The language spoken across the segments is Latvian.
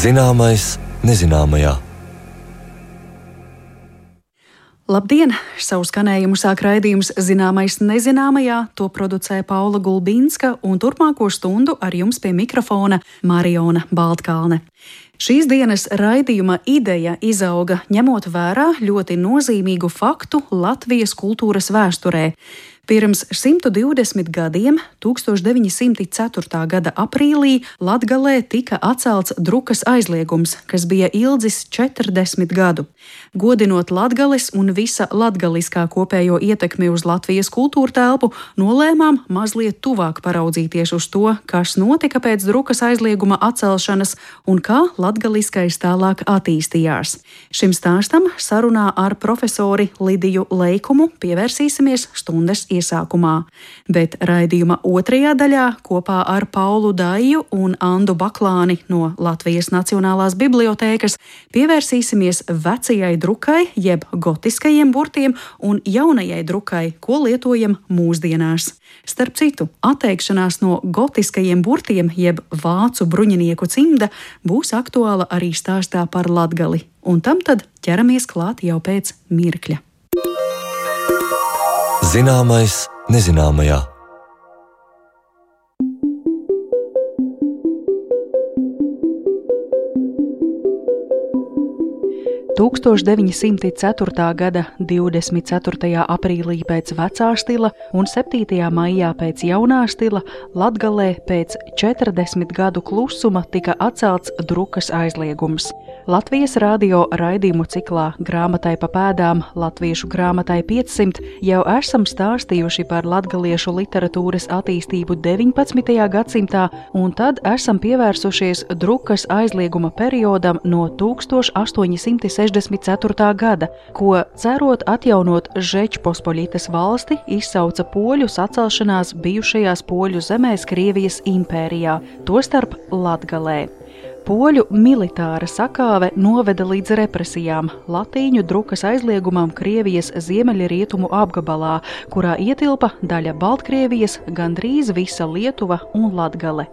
Zināmais nezināmajā. Labdien! Savu skanējumu sāk raidījums Zināmais nezināmajā. To producē Paula Gulbinska un turpmāko stundu ar jums pie mikrofona Mariona Baltkalne. Šīs dienas raidījuma ideja izauga ņemot vērā ļoti nozīmīgu faktu Latvijas kultūras vēsturē. Pirms 120 gadiem, 1904. gada aprīlī, Latgalē tika atcelts drukas aizliegums, kas bija ilgs 40 gadu. Godinot Latgales un visa latgaliskā kopējo ietekmi uz Latvijas kultūra telpu, nolēmām mazliet tuvāk paraudzīties uz to, kas notika pēc drukas aizlieguma atcelšanas un kā latgaliskais tālāk attīstījās. Šim stāstam sarunā ar profesori Lidiju Leikumu pievērsīsimies stundas iesākumā, bet raidījuma otrajā daļā kopā ar Paulu Daiju un Andu Baklāni no Latvijas Nacionālās bibliotēkas pievērsīsimies vecajai drukai, jeb gotiskajiem burtiem un jaunajai drukai, ko lietojam mūsdienās. Starp citu, atteikšanās no gotiskajiem burtiem, jeb vācu bruņinieku cimda, būs aktuāla arī stāstā par Latgali, un tam tad ķeramies klāt jau pēc mirkļa. Zināmais nezināmajā. 1904. gada 24. aprīlī pēc vecā stila un 7. maijā pēc jaunā stila Latgalē pēc 40 gadu klusuma tika atcelts drukas aizliegums. Latvijas radio raidījumu ciklā Grāmatai pa pēdām Latviešu grāmatai 500 jau esam stāstījuši par latgaliešu literatūras attīstību 19. gadsimtā, un tad esam pievērsušies drukas aizlieguma periodam no 1864. gada, ko, cerot atjaunot Žečpospoļitas valsti, izsauca poļu sacelšanās bijušajās poļu zemēs Krievijas impērijā, tostarp Latgalē. Poļu militāra sakāve noveda līdz represijām, latīņu drukas aizliegumam Krievijas ziemeļrietumu apgabalā, kurā ietilpa daļa Baltkrievijas, gandrīz visa Lietuva un Latgale.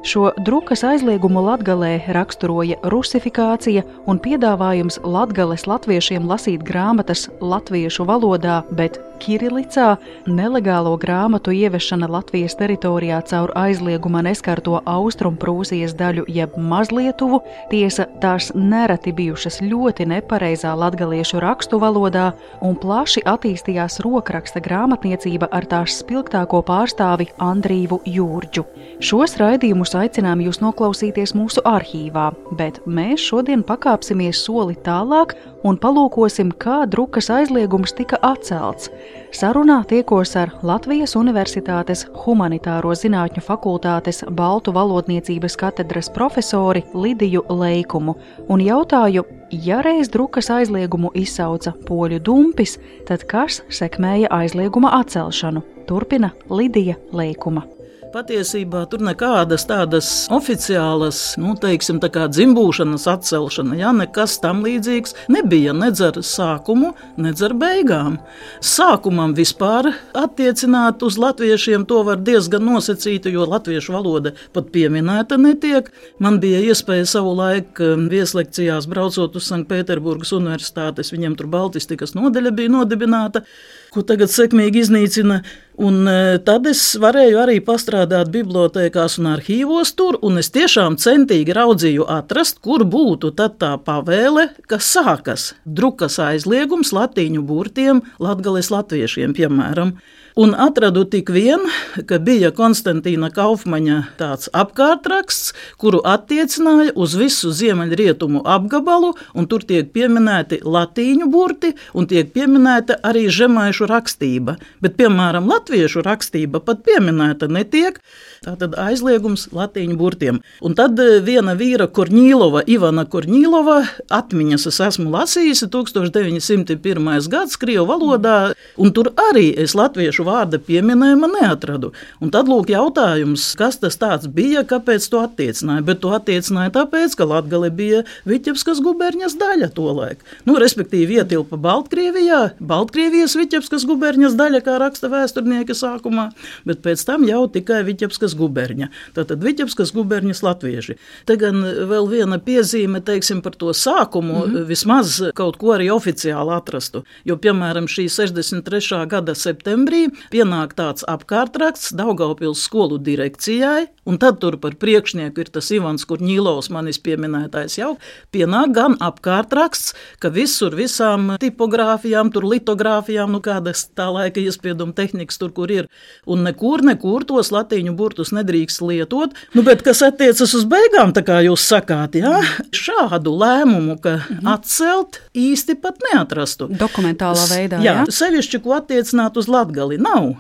Šo drukas aizliegumu Latgalē raksturoja rusifikācija un piedāvājums Latgales latviešiem lasīt grāmatas latviešu valodā, bet kirilicā, nelegālo grāmatu ievešana Latvijas teritorijā caur aizlieguma neskarto Austrumprūsijas daļu jeb Mazlietuvu, tiesa tās nereti bijušas ļoti nepareizā latgaliešu rakstu valodā, un plaši attīstījās rokraksta grāmatniecība ar tās spilgtāko pārstāvi Andrīvu Jūrģu. Šos raidījumus aicinām jūs noklausīties mūsu arhīvā, bet mēs šodien pakāpsimies soli tālāk un palūkosim, kā drukas aizliegums tika atcelts. Sarunā tiekos ar Latvijas Universitātes Humanitāro zinātņu fakultātes Baltu valodniecības katedras profesori Lidiju Leikumu un jautāju, ja reiz drukas aizliegumu izsauca poļu dumpis, tad kas sekmēja aizlieguma atcelšanu? Turpina Lidija Leikuma. Patiesībā tur nekādas tādas oficiālas, tā kā dzimbūšanas atcelšana, nekas tam līdzīgs nebija, nedz ar sākumu, nedz ar beigām. Sākumam vispār attiecināt uz latviešiem to var diezgan nosacīt, jo latviešu valoda pat pieminēta netiek. Man bija iespēja savu laiku vieslekcijās braucot uz Sanktpēterburgas universitātes, viņiem tur baltistikas nodeļa bija nodibināta, ko tagad sekmīgi iznīcina. Un tad es varēju arī pastrādāt bibliotēkās un arhīvos tur, un es tiešām centīgi raudzīju atrast, kur būtu tad tā pavēle, kas sākas. Drukas aizliegums latīņu burtiem Latgales latviešiem, piemēram. Un atradu tik vien, ka bija Konstantīna Kaufmaņa tāds apkārtraksts, kuru attiecināja uz visu ziemeļrietumu apgabalu, un tur tiek pieminēti latīņu burti, un tiek pieminēta arī žemaišu rakstība. Bet, piemēram, latviešu rakstība pat pieminēta netiek, tātad aizliegums latīņu burtiem. Un tad viena vīra Korņīlova, Ivana Korņīlova, atmiņas es esmu lasījusi 1901. gads Krievu valodā, un tur arī es latviešu latviešu vārda pieminējuma neatradu. Un tad lūk jautājums, kas tas tāds bija, kāpēc to attiecināja. Bet to attiecināja tāpēc, ka Latgale bija Viķebskas guberņas daļa tolaik. Respektīvi ietilpa Baltkrievijā, Baltkrievijas Viķebskas guberņas daļa, kā raksta vēsturnieki sākumā, bet pēc tam jau tikai Viķebskas guberņa. Tātad Viķebskas guberņas latvieši. Te gan vēl viena piezīme, teiksim, par to sākumu, vismaz kaut ko arī oficiāli atrastu. Jo, piemēram, šī 63. gada septembrī pienāk tāds apkārtraksts Daugavpils skolu direkcijai, un tad tur par priekšnieku ir tas Ivans Kurņīlovs, manis pieminētais jau, pienāk gan apkārtraksts, ka visur visām tipogrāfijām, tur litogrāfijām, kādas tā laika iespieduma tehnikas tur, kur ir, un nekur tos latīņu burtus nedrīkst lietot, bet kas attiecas uz beigām, tā kā jūs sakāt, jā, šādu lēmumu, ka atcelt īsti pat neatrastu. Dokumentālā veidā, jā? Sevišķi, ko attiecināt uz Latgali, nav.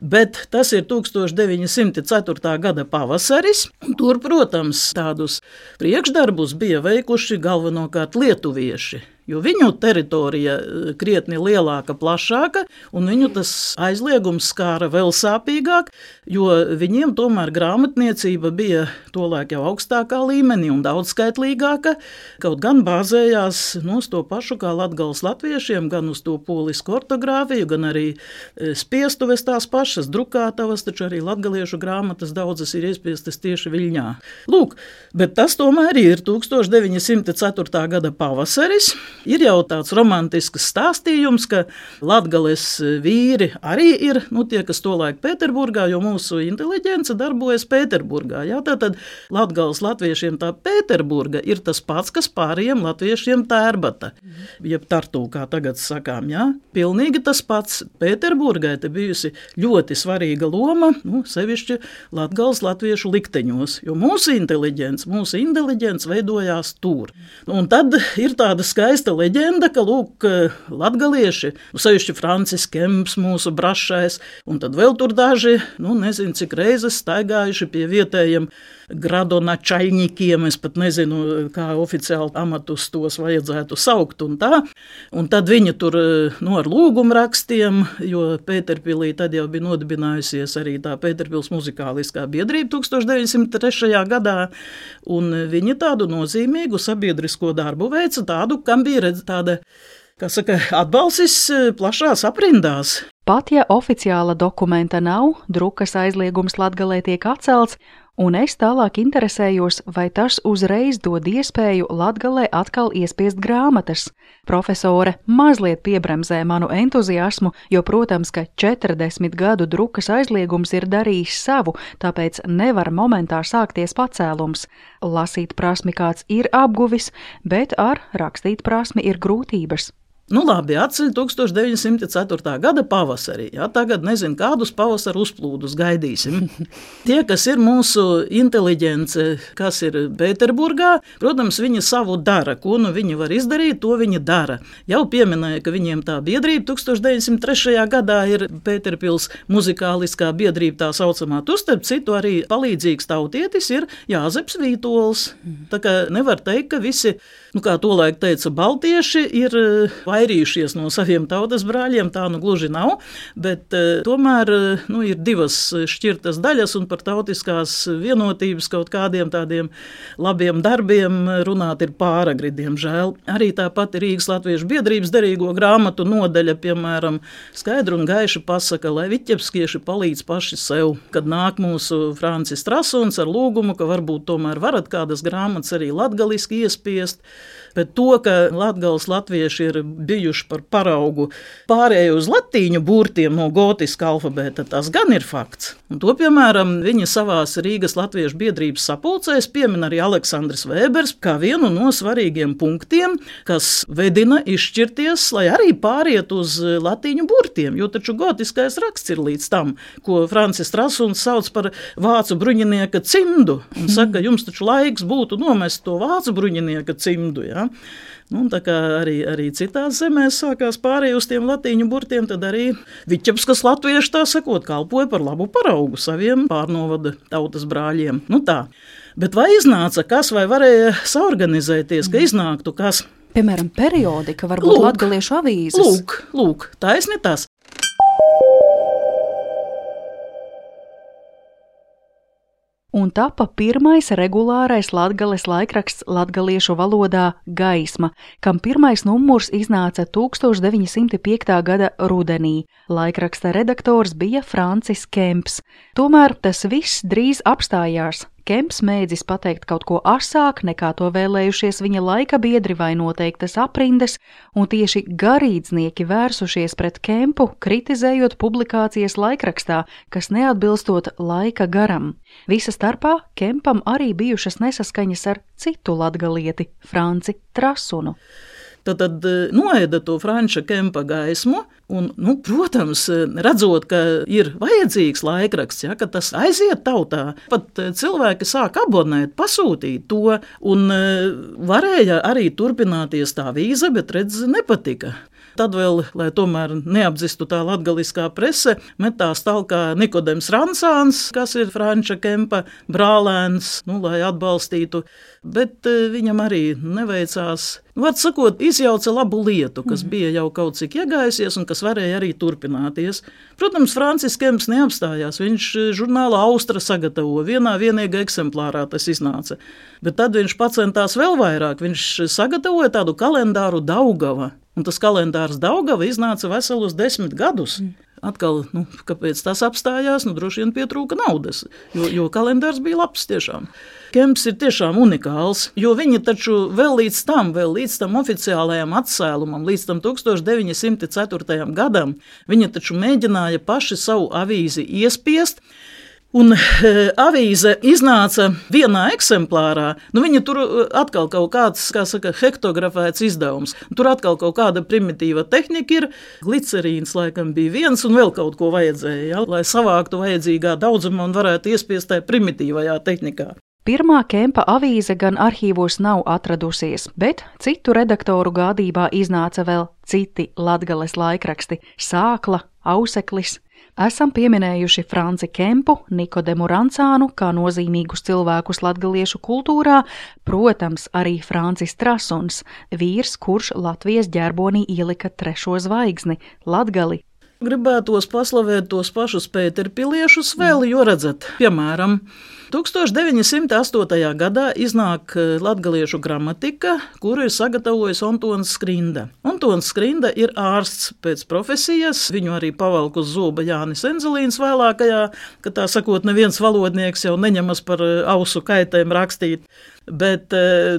Bet tas ir 1904. gada pavasaris. Tur, protams, tādus priekšdarbus bija veikuši galvenokārt lietuvieši. Jo viņu teritorija krietni lielāka, plašāka, un viņu tas aizliegums skāra vēl sāpīgāk, jo viņiem tomēr grāmatniecība bija tolaik jau augstākā līmenī un daudzskaitlīgāka, kaut gan bāzējās uz to pašu kā Latgales latviešiem, gan uz to polisku ortogrāfiju, gan arī spiestuves tās pašas drukātavas, taču arī latgaliešu grāmatas daudzas ir iespiestas tieši Viļņā. Lūk, bet tas tomēr ir 1904. gada pavasaris. Ir jau tāds romantisks stāstījums, ka Latgales vīri arī ir, tie, kas tolaik Pēterburgā, jo mūsu inteliģence darbojas Pēterburgā. Jā, tātad Latgales latviešiem tā Pēterburga ir tas pats, kas pārējiem latviešiem Tērbata, jeb Tartu, kā tagad sakām. Jā. Pilnīgi tas pats. Pēterburgai te bijusi ļoti svarīga loma, sevišķi Latgales latviešu likteņos, jo mūsu inteliģents veidojās tur. Un tad ir tāda skaista leģenda, ka, lūk, latgalieši, sevišķi Francis Kemps, mūsu brašais, un tad vēl tur daži, nezinu, cik reizes staigājuši pie vietējiem gradonačaļņikiem, es pat nezinu, kā oficiāli amatus tos vajadzētu saukt un tā. Un tad viņi tur, ar lūgumrakstiem, jo Pēterpilī tad jau bija nodibinājusies arī tā Pēterpils muzikāliskā biedrība 1903. gadā, un viņi tādu nozīmīgu sabiedrisko darbu veica, tādu, kam bija tāda, atbalsis plašās aprindās. Pat ja oficiāla dokumenta nav, drukas aizliegums Latgalē tiek atcelts, un es tālāk interesējos, vai tas uzreiz dod iespēju Latgalē atkal iespiest grāmatas. Profesore mazliet piebremzē manu entuziasmu, jo, protams, ka 40 gadu drukas aizliegums ir darījis savu, tāpēc nevar momentā sākties pacēlums. Lasīt prasmi kāds ir apguvis, bet ar rakstīt prasmi ir grūtības. Labi, atceļ 1904. gada pavasarī. Jā, tagad nezinu, kādus pavasaru uzplūdus gaidīsim. Tie, kas ir mūsu inteliģence, kas ir Pēterburgā, protams, viņi savu dara. Ko viņi var izdarīt, to viņi dara. Jau pieminēja, ka viņiem tā biedrība 1903. gadā ir Pēterpils muzikāliskā biedrība, tā saucamā. Tu starp citu arī palīdzīgs tautietis ir Jāzeps Vītols. Tā kā nevar teikt, ka visi, kā tolaik teica, baltieši ir vairījušies no saviem tautas brāļiem, tā gluži nav, bet tomēr ir divas šķirtas daļas, un par tautiskās vienotības kaut kādiem tādiem labiem darbiem runāt ir pāragri, diemžēl. Arī tāpat Rīgas latviešu biedrības derīgo grāmatu nodaļa, piemēram, skaidri un gaiši pasaka, lai viķebskieši palīdz paši sev, kad nāk mūsu Francis Trasuns ar lūgumu, ka varbūt tomēr varat kādas grāmatas arī latgaliski iespiest. Bet to, ka Latgales latvieši ir bijuši par paraugu pārēju uz latīņu burtiem no gotiska alfabēta, tas gan ir fakts. Un to, piemēram, viņi savās Rīgas latviešu biedrības sapulcēs piemin arī Aleksandrs Vēbers kā vienu no svarīgiem punktiem, kas vedina izšķirties, lai arī pāriet uz latīņu burtiem, jo taču gotiskais raksts ir līdz tam, ko Francis Trasuns sauc par vācu bruņinieka cimdu, un saka, jums taču laiks būtu nomest to vācu bruņinieka cimdu, ja? Tā kā arī citās zemēs sākās pārēj uz tiem latīņu burtiem, tad arī Viķebskas latvieši, tā sakot, kalpoja par labu paraugu saviem pārnovada tautas brāļiem. Tā. Bet vai iznāca kas, vai varēja saorganizēties, ka iznāktu kas? Piemēram, periodika, varbūt latgaliešu avīzes. Lūk, taisni tas. un tapa pirmais regulārais Latgales laikraksts latgaliešu valodā Gaisma, kam pirmais numurs iznāca 1905. gada rudenī. Laikraksta redaktors bija Francis Kemps. Tomēr tas viss drīz apstājās. Kemps mēdzis pateikt kaut ko asāk, nekā to vēlējušies viņa laika biedri vai noteiktas aprindes, un tieši garīdznieki vērsušies pret Kempu, kritizējot publikācijas laikrakstā, kas neatbilstot laika garam. Visa starpā Kempam arī bijušas nesaskaņas ar citu latgalieti, Franci Trasunu. Tad noēda to Franča Kempa Gaismu, un, protams, redzot, ka ir vajadzīgs laikraksts, ja, ka tas aiziet tautā, pat cilvēki sāk abonēt, pasūtīt to, un varēja arī turpināties tā avīze, bet redz, nepatika. Tad vēl, lai tomēr neapdzistu tā latgaliskā prese, metās talkā Nikodems Ransāns, kas ir Franča Kempa brālēns, lai atbalstītu, bet viņam arī neveicās. Vārds sakot, izjauca labu lietu, kas bija jau kaut cik iegājusies un kas varēja arī turpināties. Protams, Francis Kemps neapstājās, viņš žurnāla Austra sagatavo, vienīgā eksemplārā tas iznāca. Bet tad viņš pacentās vēl vairāk, viņš sagatavoja tādu kalendāru Daugava. Un tas kalendārs Daugava iznāca veselus 10 gadus. Atkal, kāpēc tas apstājās? Droši vien pietrūka naudas, jo kalendārs bija labs tiešām. Kemps ir tiešām unikāls, jo viņi taču vēl līdz tam oficiālajam atcēlumam, līdz tam 1904. gadam, viņi taču mēģināja paši savu avīzi iespiest. Un avīze iznāca vienā eksemplārā, viņa tur atkal kaut kāds, hektografēts izdevums. Tur atkal kaut kāda primitīva tehnika ir, glicerīns laikam bija viens un vēl kaut ko vajadzēja, ja, lai savāktu vajadzīgā daudzumā un varētu iespiest tajā primitīvajā tehnikā. Pirmā Kempa avīze gan arhīvos nav atradusies, bet citu redaktoru gādībā iznāca vēl citi Latgales laikraksti – Sākla, Auseklis. Esam pieminējuši Franci Kempu, Nikodemu Ransānu kā nozīmīgus cilvēkus latgaliešu kultūrā, protams, arī Francis Trasuns, vīrs, kurš Latvijas ģerbonī ielika 3. zvaigzni – Latgali. Gribētos paslavēt tos pašus pēterpiliešus vēl, jo redzat, piemēram, 1908. gadā iznāk latgaliešu gramatika, kuru ir sagatavojis Ontons Skrinda. Ontons Skrinda ir ārsts pēc profesijas, viņu arī pavalk uz zoba Jānis Enzelīns vēlākajā, ka tā sakot, neviens valodnieks jau neņemas par ausu kaitēm rakstīt. Bet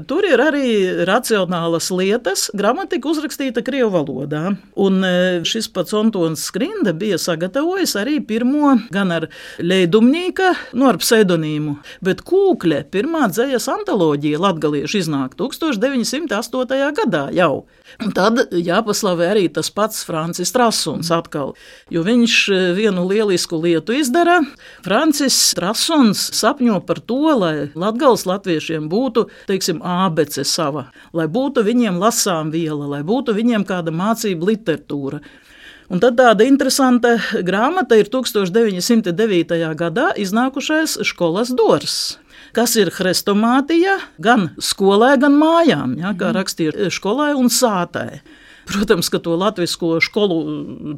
tur ir arī racionālas lietas, gramatika uzrakstīta krievu valodā. Un šis pats Ontons Skrinda bija sagatavojis arī pirmo gan ar Leidumnīka, ar pseidonīmu, bet Kūkļa pirmā dzejas antoloģija latgaliešu iznāk 1908. gadā jau. Un tad jāpaslavē arī tas pats Francis Trasuns atkal, jo viņš vienu lielisku lietu izdara. Francis Trasuns sapņo par to, lai Latgales latviešiem būtu, teiksim, ābece sava, lai būtu viņiem lasām viela, lai būtu viņiem kāda mācība literatūra. Un tad tāda interesanta grāmata ir 1909. gadā iznākušais Školas dors, kas ir hrestomātija gan skolē, gan mājām, ja, kā rakstīja Školai un sātai. Protams, ka to latvisko skolu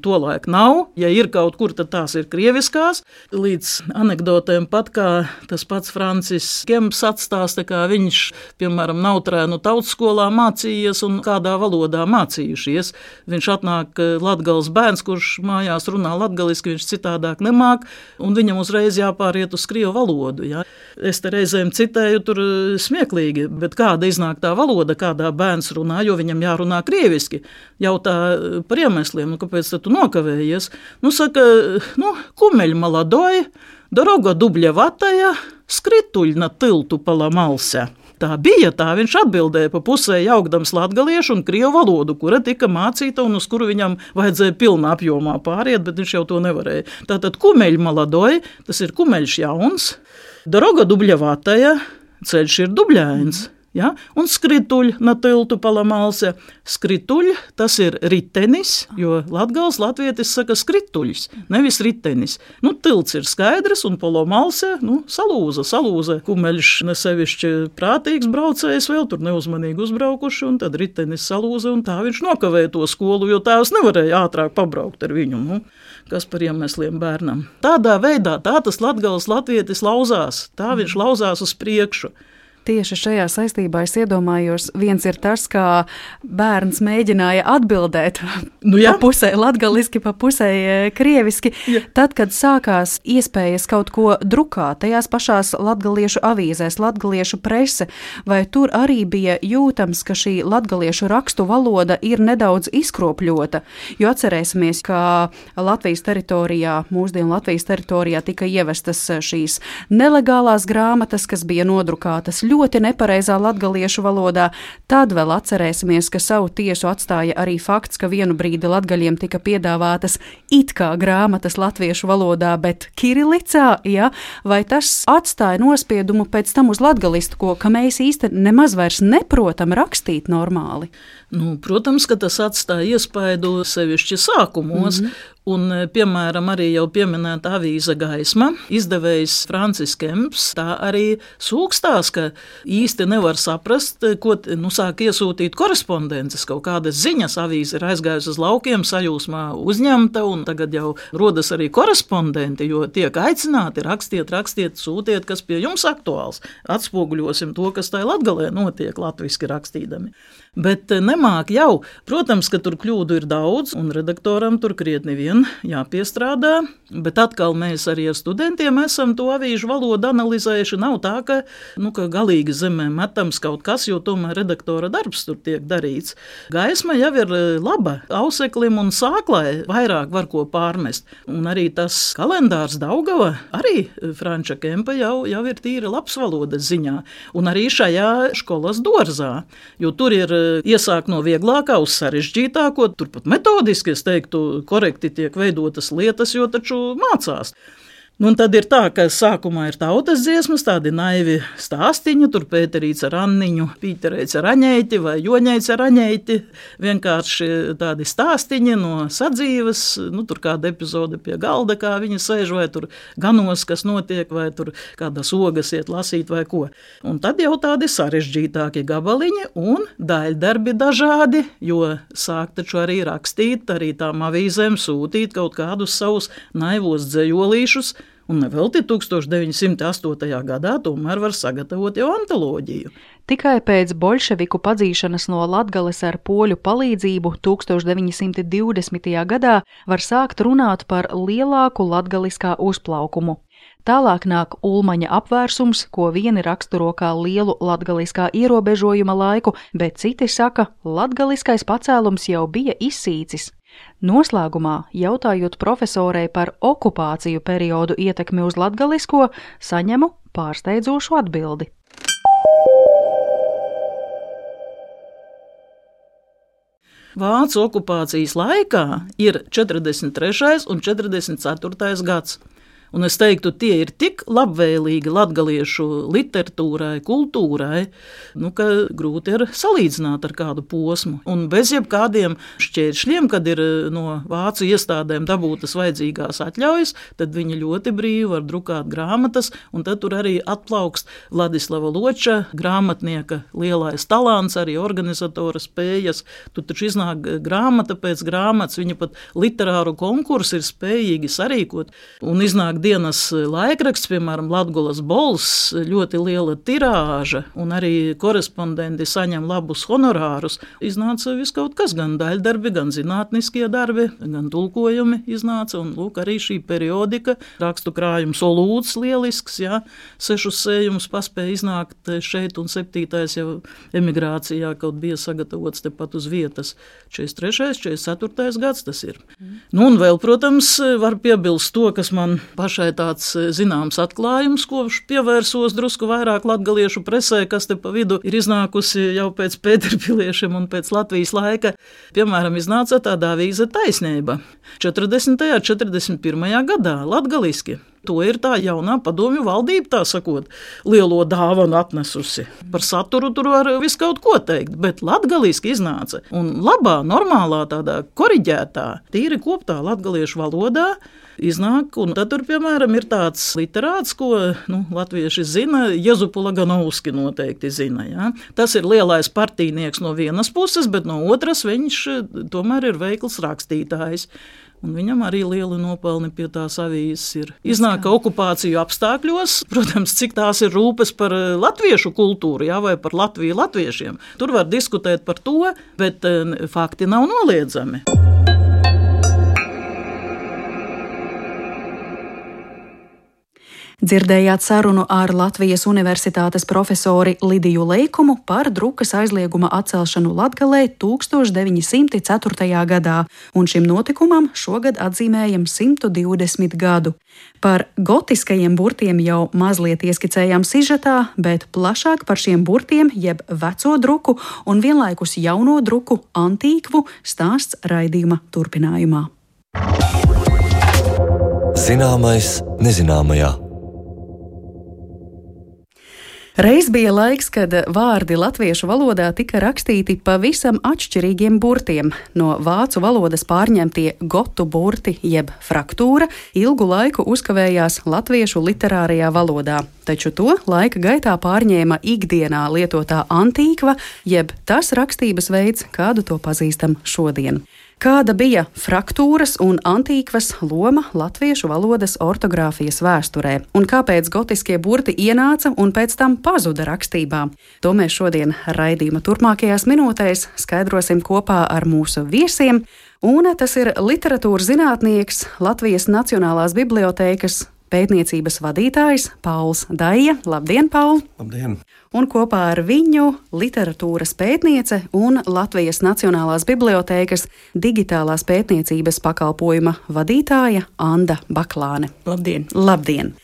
tolaik nav. Ja ir kaut kur, tad tās ir krieviskās. Līdz anekdotēm pat, kā tas pats Francis Kemps atstāsta, kā viņš, piemēram, Nautrēnu tautskolā mācījies un kādā valodā mācījušies. Viņš atnāk Latgales bērns, kurš mājās runā latgaliski, viņš citādāk nemāk, un viņam uzreiz jāpāriet uz krievu valodu. Ja. Es te reizēm citēju tur smieklīgi, bet kāda iznāk tā valoda, kādā bērns runā, jo viņam jārunā krieviski. Jautā par iemesliem, kāpēc tu nokavējies? Saka, kumeļ maladoj, doroga dubļa vataja, skrituļ na tiltu palamalse. Tā bija, viņš atbildēja pa pusē jaukdams latgaliešu un krievu valodu, kura tika mācīta un uz kuru viņam vajadzēja pilnā apjomā pāriet, bet viņš jau to nevarēja. Tātad kumeļ maladoj, tas ir kumeļš jauns, doroga dubļa vataja, ceļš ir dubļains. Ja? Un skrituļ na tiltu palamalse. Skrituļ, tas ir ritenis, jo latgals latvietis saka skrituļs, nevis ritenis. Nu, tilts ir skaidrs un palamalse, salūza. Kumeļš nesevišķi prātīgs braucējs vēl tur neuzmanīgi uzbraukuši, un tad ritenis salūza, un tā viņš nokavēja to skolu, jo tēvs nevarēja ātrāk pabraukt ar viņu. Kas par iemesliem bērnam. Tādā veidā tā tas latgals latvietis lauzās, tā viņš lauzās uz priekšu. Tieši šajā saistībā es iedomājos, viens ir tas, kā bērns mēģināja atbildēt pa pusē latgaliski, pa pusē krieviski. Ja. Tad, kad sākās iespējas kaut ko drukāt, tajās pašās latgaliešu avīzēs, latgaliešu prese, vai tur arī bija jūtams, ka šī latgaliešu rakstu valoda ir nedaudz izkropļota? Jo atcerēsimies, ka mūsdienu Latvijas teritorijā tika ievestas šīs nelegālās grāmatas, kas bija nodrukātas ļoti nepareizā latgaliešu valodā. Tad vēl atcerēsimies, ka savu tiesu atstāja arī fakts, ka vienu brīdi latgaļiem tika piedāvātas it kā grāmatas latviešu valodā, bet kirilicā, ja? Vai tas atstāja nospiedumu pēc tam uz latgalistisko, ka mēs īsti nemaz vairs neprotam rakstīt normāli? Protams, ka tas atstāja iespaidu sevišķi sākumos, un, piemēram, arī jau pieminēta avīze Gaisma, izdevējs Francis Kemps, tā arī sūkstās, ka īsti nevar saprast, ko sāk iesūtīt korespondences, kaut kādas ziņas, avīze ir aizgājusi uz laukiem, sajūsmā uzņemta, un tagad jau rodas arī korespondenti, jo tiek aicināti rakstiet, sūtiet, kas pie jums aktuāls, atspoguļosim to, kas tai Latgalē notiek latviski rakstīdami. Bet nemāk jau. Protams, ka tur kļūdu ir daudz, un redaktoram tur krietni vien jāpiestrādā, bet atkal mēs arī ar studentiem esam to avīžu valodu analizējuši. Nav tā, ka galīgi zemē metams kaut kas, jo tomēr redaktora darbs tur tiek darīts. Gaisma jau ir laba auseklim un sāklai, vairāk var ko pārmest. Un arī tas kalendārs Daugava, arī Franča Kempa jau ir tīri labs valodas ziņā. Un arī šajā školas Dorzā, jo tur ir iesāk no vieglākā uz sarežģītāko, turpat metodiski, es teiktu, korekti tiek veidotas lietas, jo taču mācās. Un tad ir tā, ka sākumā ir tautas dziesmas, tādi naivi stāstiņi, tur Pēterīts ar Anniņu, Pīterēts ar Aņeiti vai Joņeits ar Aņeiti, vienkārši tādi stāstiņi no sadzīves, tur kāda epizode pie galda, kā viņi sēž, vai tur ganos, kas notiek, vai tur kādas ogas iet lasīt vai ko. Un tad jau tādi sarežģītāki gabaliņi un daļdarbi dažādi, jo sāk taču arī rakstīt, arī tām avīzēm sūtīt kaut kādus savus naivos dzejolīšus, un nevelti 1908. gadā tomēr var sagatavot jau antoloģiju. Tikai pēc boļševiku padzīšanas no Latgales ar poļu palīdzību 1920. gadā var sākt runāt par lielāku latgaliskā uzplaukumu. Tālāk nāk Ulmaņa apvērsums, ko vieni raksturo kā lielu latgaliskā ierobežojuma laiku, bet citi saka, latgaliskais pacēlums jau bija izsīcis. Noslēgumā, jautājot profesorei par okupāciju periodu ietekmi uz latgalisko, saņemu pārsteidzošu atbildi. Vācu okupācijas laikā ir 43. un 44. gads. Un es teiktu, tie ir tik labvēlīgi latgaliešu literatūrai, kultūrai, ka grūti ir salīdzināt ar kādu posmu. Un bez jebkādiem šķēršļiem, kad ir no vācu iestādēm dabūtas vajadzīgās atļaujas, tad viņi ļoti brīvi var drukāt grāmatas, un tad tur arī atplaukst Vladislava Loča, grāmatnieka lielais talants, arī organizatora spējas. Tur taču iznāk grāmata pēc grāmatas, viņa pat literāru konkursu ir spējīgi sarīkot, un iznāk dienas laikraksts, piemēram, Latgolas Bols, ļoti liela tirāža, un arī korespondenti saņem labus honorārus. Iznāca viskaut kas, gan daļdarbi, gan zinātniskie darbi, gan tulkojumi iznāca, un lūk, arī šī periodika, rakstu krājums Olūds lielisks, 6 sējumus paspēja iznākt šeit, un 7. jau emigrācijā kaut bija sagatavots tepat uz vietas. 43. 44. gads tas ir. Un vēl, protams, var piebilst to, kas man pašai tāds zināms atklājums, ko pievērsos drusku vairāk latgaliešu presē, kas te pa vidu ir iznākusi jau pēc Pēterpiliešiem un pēc Latvijas laika. Piemēram, iznāca tāda avīze Taisnība 40. 41. gadā latgaliski. To ir tā jaunā padomju valdība, tā sakot, lielo dāvanu atnesusi. Par saturu tur var visu kaut ko teikt, bet latgaliski iznāca. Un labā, normālā, tādā koriģētā, tīri koptā latgaliešu valodā iznāk, un tad tur, piemēram, ir tāds literāts, ko latvieši zina, Jezupu Laganovski noteikti zina. Ja? Tas ir lielais partijnieks no vienas puses, bet no otras viņš tomēr ir veikls rakstītājs. Un viņam arī lieli nopelni pie tās avīzes ir. Iznāk okupāciju apstākļos, protams, cik tās ir rūpes par latviešu kultūru, jā, vai par Latviju latviešiem. Tur var diskutēt par to, bet fakti nav noliedzami. Dzirdējāt sarunu ar Latvijas Universitātes profesori Lidiju Leikumu par drukas aizlieguma atcelšanu Latgalē 1904. gadā, un šim notikumam šogad atzīmējam 120 gadu. Par gotiskajiem burtiem jau mazliet ieskicējām sižetā, bet plašāk par šiem burtiem, jeb veco druku un vienlaikus jauno druku antīkvu stāsts raidījuma turpinājumā. Zināmais nezināmajā. Reiz bija laiks, kad vārdi latviešu valodā tika rakstīti pavisam atšķirīgiem burtiem. No vācu valodas pārņemtie gotu burti jeb fraktūra ilgu laiku uzkavējās latviešu literārajā valodā, taču to laika gaitā pārņēma ikdienā lietotā antīkva jeb tas rakstības veids, kādu to pazīstam šodien. Kāda bija fraktūras un antīkvas loma latviešu valodas ortogrāfijas vēsturē, un kāpēc gotiskie burti ienāca un pēc tam pazuda rakstībā? To mēs šodien raidījuma turpmākajās minūtēs skaidrosim kopā ar mūsu viesiem, un tas ir literatūras zinātnieks, Latvijas Nacionālās bibliotēkas pētniecības vadītājs Pauls Daija. Labdien, Paul! Labdien! Un kopā ar viņu literatūras pētniece un Latvijas Nacionālās bibliotēkas digitālās pētniecības pakalpojuma vadītāja Anda Baklāne. Labdien! Labdien!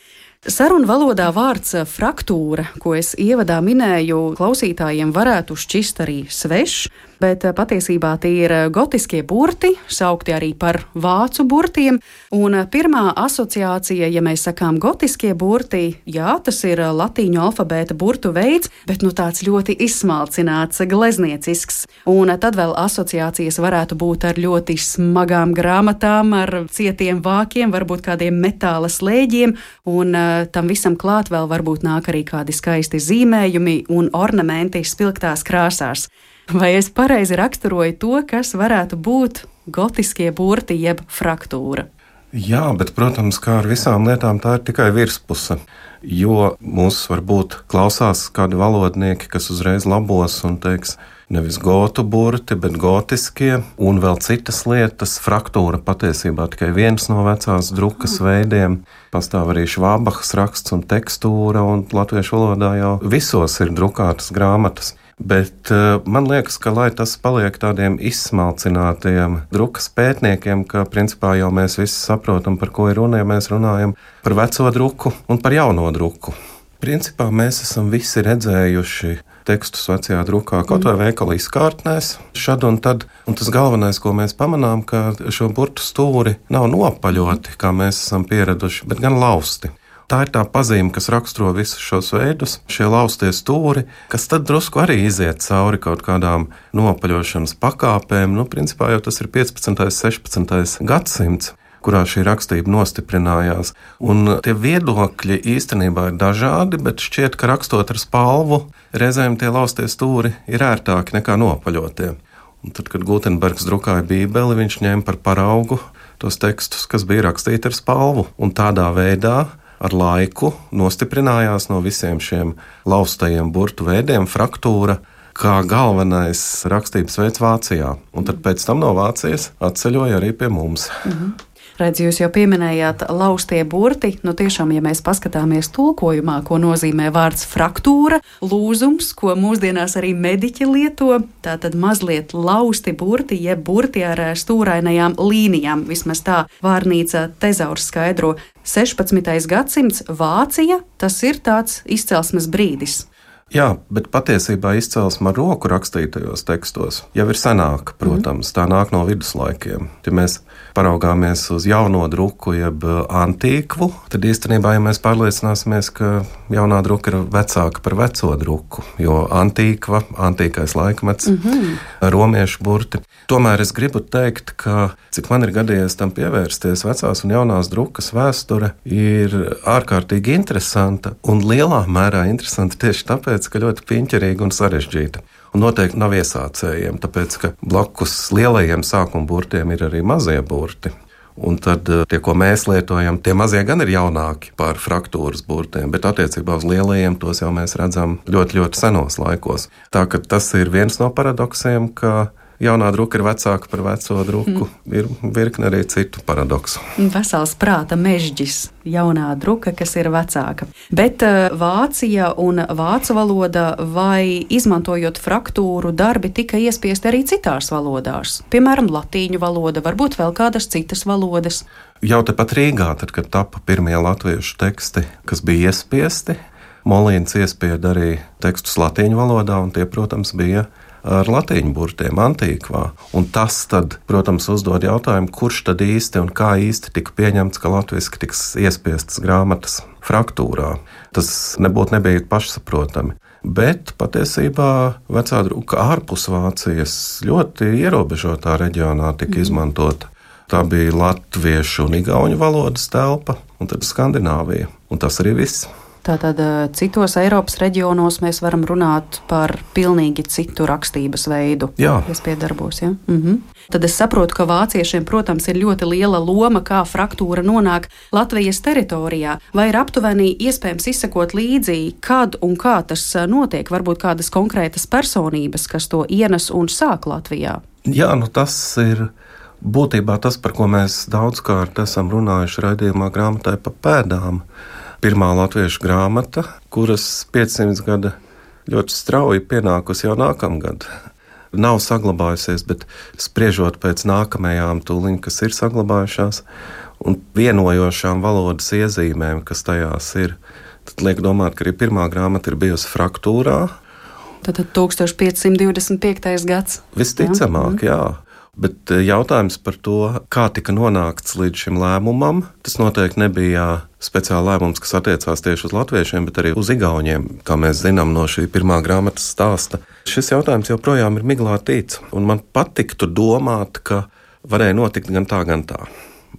Sarunu valodā vārds fraktūra, ko es ievadā minēju, klausītājiem varētu šķist arī svešs, bet patiesībā tie ir gotiskie burti, saukti arī par vācu burtiem, un pirmā asociācija, ja mēs sakām gotiskie burti, jā, tas ir latīņu alfabēta burtu veids, bet tāds ļoti izsmalcināts, glezniecisks, un tad vēl asociācijas varētu būt ar ļoti smagām grāmatām, ar cietiem vākiem, varbūt kādiem metāla slēģiem, un tam visam klāt vēl varbūt nāk arī kādi skaisti zīmējumi un ornamenti spilgtās krāsās. Vai es pareizi raksturoju to, kas varētu būt gotiskie burti jeb fraktūra? Jā, bet, protams, kā ar visām lietām, tā ir tikai virspuse. Jo mūs varbūt klausās kādi valodnieki, kas uzreiz labos un teiks, nevis gotu burti, bet gotiskie, un vēl citas lietas. Fraktūra patiesībā tikai viens no vecās drukas veidiem. Pastāv arī Švābahas raksts un tekstūra, un latviešu valodā jau visos ir drukātas grāmatas. Bet man liekas, ka lai tas paliek tādiem izsmalcinātiem drukas pētniekiem, ka principā jau mēs visi saprotam, par ko ir runa, ja mēs runājam par veco druku un par jauno druku. Principā mēs esam visi redzējuši tekstus vecajā drukā, kaut vai veikala izkārtnēs, šad un tad. Un tas galvenais, ko mēs pamanām, ka šo burtu stūri nav nopaļoti, kā mēs esam pieraduši, bet gan lausti. Tā ir tā pazīme, kas raksturo visus šos veidus, šie laustie stūri, kas tad drusku arī iziet cauri kaut kādām nopaļošanas pakāpēm. Principā jau tas ir 15. 16. gadsimts, kurā šī rakstība nostiprinājās. Un tie viedokļi īstenībā ir dažādi, bet šķiet, ka rakstot ar spalvu, reizēm tie laustie stūri ir ērtāki nekā nopaļotie. Un tad, kad Gutenbergs drukāja Bībeli, viņš ņēma par paraugu tos tekstus, kas bija rakstīti ar spalvu. Un tādā veidā ar laiku nostiprinājās no visiem šiem laustajiem burtu veidiem fraktūra kā galvenais rakstības veids Vācijā. Un tad pēc tam no Vācijas atceļoja arī pie mums. Redz, jūs jau pieminējāt laustie burti. Tiešām, ja mēs paskatāmies tulkojumā, ko nozīmē vārds fraktūra, lūzums, ko mūsdienās arī mediķi lieto, tātad mazliet lausti burti, jeb burti ar stūrainajām līnijām. Vismaz tā vārnīca Tezaurs skaidro. 16. gadsimts Vācija, tas ir tāds izcelsmes brīdis. Jā, bet patiesībā izcelsme ar roku rakstītajos tekstos jau ir senāka, protams, tā nāk no viduslaikiem. Ja mēs paraugāmies uz jauno druku, jeb antīkvu, tad īstenībā, ja mēs pārliecināsimies, ka jaunā druka ir vecāka par veco druku, jo antīkva, antīkais laikmets, romiešu burti. Tomēr es gribu teikt, ka, cik man ir gadījies tam pievērsties, vecās un jaunās drukas vēsture ir ārkārtīgi interesanta un lielā mērā interesanta tieši tāpēc, ka ļoti piņķerīga un sarežģīta. Un noteikti nav iesācējiem, tāpēc, ka blakus lielajiem sākuma burtiem ir arī mazie burti. Un tad tie, ko mēs lietojam, tie mazie gan ir jaunāki par fraktūras burtiem, bet attiecībā uz lielajiem tos jau mēs redzam ļoti, ļoti senos laikos. Tā ka tas ir viens no paradoksiem, ka jaunā druka ir vecāka par veco druku. Ir virkne arī citu paradoksu. Vesels prāta mežģis, jaunā druka, kas ir vecāka. Bet Vācija un vācu valoda vai izmantojot fraktūru darbi tika iespiesti arī citās valodās? Piemēram, latīņu valoda, varbūt vēl kādas citas valodas? Jau tepat Rīgā, tad, kad tapa pirmie latviešu teksti, kas bija iespiesti, Molīns iespieda arī tekstus latīņu valodā, un tie, protams, bija ar latīņu burtiem antīkvā. Un tas tad, protams, uzdod jautājumu, kurš tad īsti un kā īsti tika pieņemts, ka latviski tiks iespiestas grāmatas fraktūrā. Tas nebija pašsaprotami. Bet patiesībā vecā druka ārpus Vācijas ļoti ierobežotā reģionā tika izmantota. Tā bija latviešu un igauņu valodas telpa, un tad Skandināvija. Un tas arī viss. Tātad citos Eiropas reģionos mēs varam runāt par pilnīgi citu rakstības veidu. Jā. Iespiedarbos, ja? Tad es saprotu, ka vāciešiem, protams, ir ļoti liela loma, kā fraktūra nonāk Latvijas teritorijā. Vai ir aptuveni iespējams izsekot līdzi, kad un kā tas notiek? Varbūt kādas konkrētas personības, kas to ienes un sāk Latvijā? Jā, tas ir būtībā tas, par ko mēs daudzkārt esam runājuši raidījumā grāmatai pa pēdām. Pirmā latviešu grāmata, kuras 500 gada ļoti strauji pienākusi jau nākamgad. Nav saglabājusies, bet spriežot pēc nākamajām tūliņ, kas ir saglabājušās, un vienojošām valodas iezīmēm, kas tajās ir, tad liek domāt, ka arī pirmā grāmata ir bijusi fraktūrā. Tātad 1525. gads. Visticamāk, jā. Bet jautājums par to, kā tika nonākts līdz šim lēmumam, tas noteikti nebija speciāli lēmums, kas attiecās tieši uz latviešiem, bet arī uz igauņiem, kā mēs zinām no šī pirmā grāmatas stāsta. Šis jautājums joprojām ir miglā tīts, un man patiktu domāt, ka varēja notikt gan tā.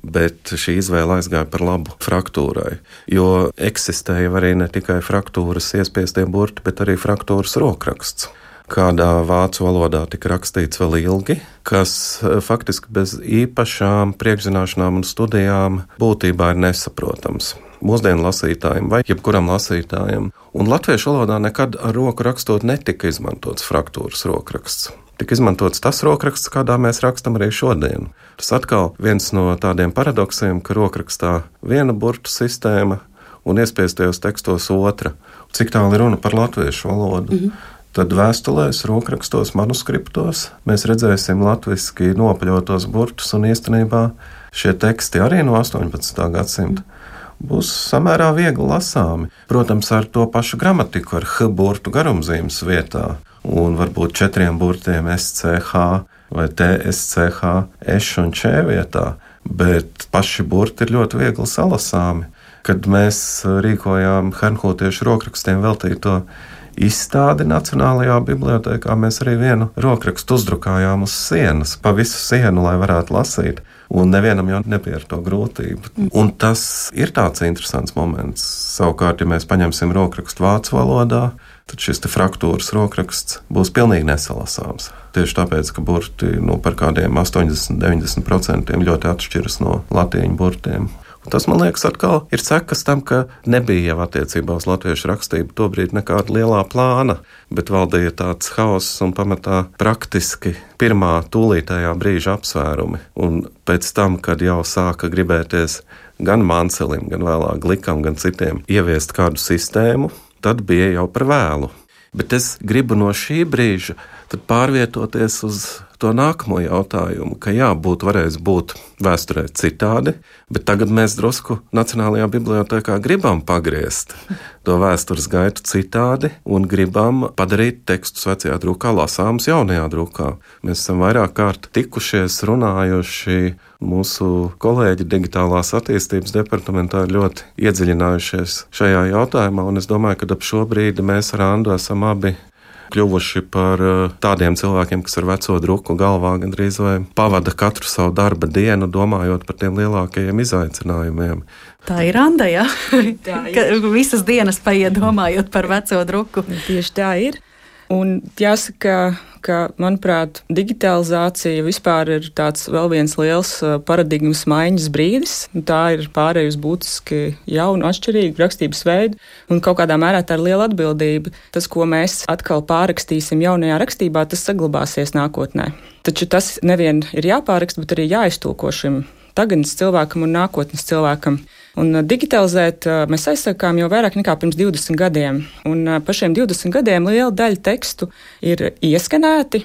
Bet šī izvēle aizgāja par labu fraktūrai, jo eksistēja arī ne tikai fraktūras iespiestie burti, bet arī fraktūras rokraksts. Kādā vācu valodā tika rakstīts vēl ilgi, kas faktiski bez īpašām priekšzināšanām un studijām būtībā ir nesaprotams mūsdienu lasītājiem vai jebkuram lasītājam. Un latviešu valodā nekad ar roku rakstot netika izmantots fraktūras rokraksts. Tika izmantots tas rokraksts, kādā mēs rakstam arī šodien. Tas atkal viens no tādiem paradoksiem, ka rokrakstā viena burtu sistēma un iespiestajos tekstos otra. Cik tālu ir runa par latviešu valodu? Tad vēstulēs, rokrakstos, manuskriptos mēs redzēsim latviski nopaļotos burtus, un īstenībā šie teksti arī no 18. gadsimta būs samērā viegli lasāmi. Protams, ar to pašu gramatiku, ar H burtu garumzīmes vietā, un varbūt 4 burtiem SCH vai TSCH, Š un Č vietā, bet paši burti ir ļoti viegli salasāmi. Kad mēs rīkojām hernhūtiešu rokrakstiem veltīto izstādi Nacionālajā bibliotēkā, mēs arī vienu rokrakstu uzdrukājām uz sienas, pa visu sienu, lai varētu lasīt, un nevienam jau nebija ar to grūtību. Un tas ir tāds interesants moments. Savukārt, ja mēs paņemsim rokrakstu vācu valodā, tad šis fraktūras rokraksts būs pilnīgi nesalasāms. Tieši tāpēc, ka burti par kādiem 80-90% ļoti atšķiras no latīņu burtiem. Un tas, man liekas, atkal ir sekas tam, ka nebija jau attiecībā uz latviešu rakstību tobrīd nekāda lielā plāna, bet valdīja tāds haoss un pamatā praktiski pirmā tūlītējā brīža apsvērumi. Un pēc tam, kad jau sāka gribēties gan Mancelim, gan vēlāk Glikam, gan citiem ieviest kādu sistēmu, tad bija jau par vēlu. Bet es gribu no šī brīža tad pārvietoties uz to nākamo jautājumu, ka jā, varēs būt vēsturē citādi, bet tagad mēs drusku Nacionālajā bibliotēkā gribam pagriezt to vēstures gaitu citādi un gribam padarīt tekstus vecajā drukā lasāmus jaunajā drukā. Mēs esam vairāk kārt tikušies, runājuši, mūsu kolēģi digitālās attīstības departamentā ir ļoti iedziļinājušies šajā jautājumā, un es domāju, ka ap šo brīdi mēs ar Andu esam abi kļuvuši par tādiem cilvēkiem, kas ar veco druku galvā gandrīz vai pavada katru savu darba dienu, domājot par tiem lielākajiem izaicinājumiem. Tā ir Anda, jā? Ka visas dienas paiet domājot par veco druku. Tieši tā ir. Un jāsaka, ka, manuprāt, digitalizācija vispār ir tāds vēl viens liels paradigmas maiņas brīdis. Tā ir pārējusi būtiski jaunu, atšķirīgu rakstības veidu, un kaut kādā mērā tā ir liela atbildība. Tas, ko mēs atkal pārrakstīsim jaunajā rakstībā, tas saglabāsies nākotnē. Taču tas nevien ir jāpāraksta, bet arī jāiztulko šim tagadnes cilvēkam un nākotnes cilvēkam. Un digitalizēt mēs aizsākām jau vairāk nekā pirms 20 gadiem. Un par šiem 20 gadiem liela daļa tekstu ir ieskanēti,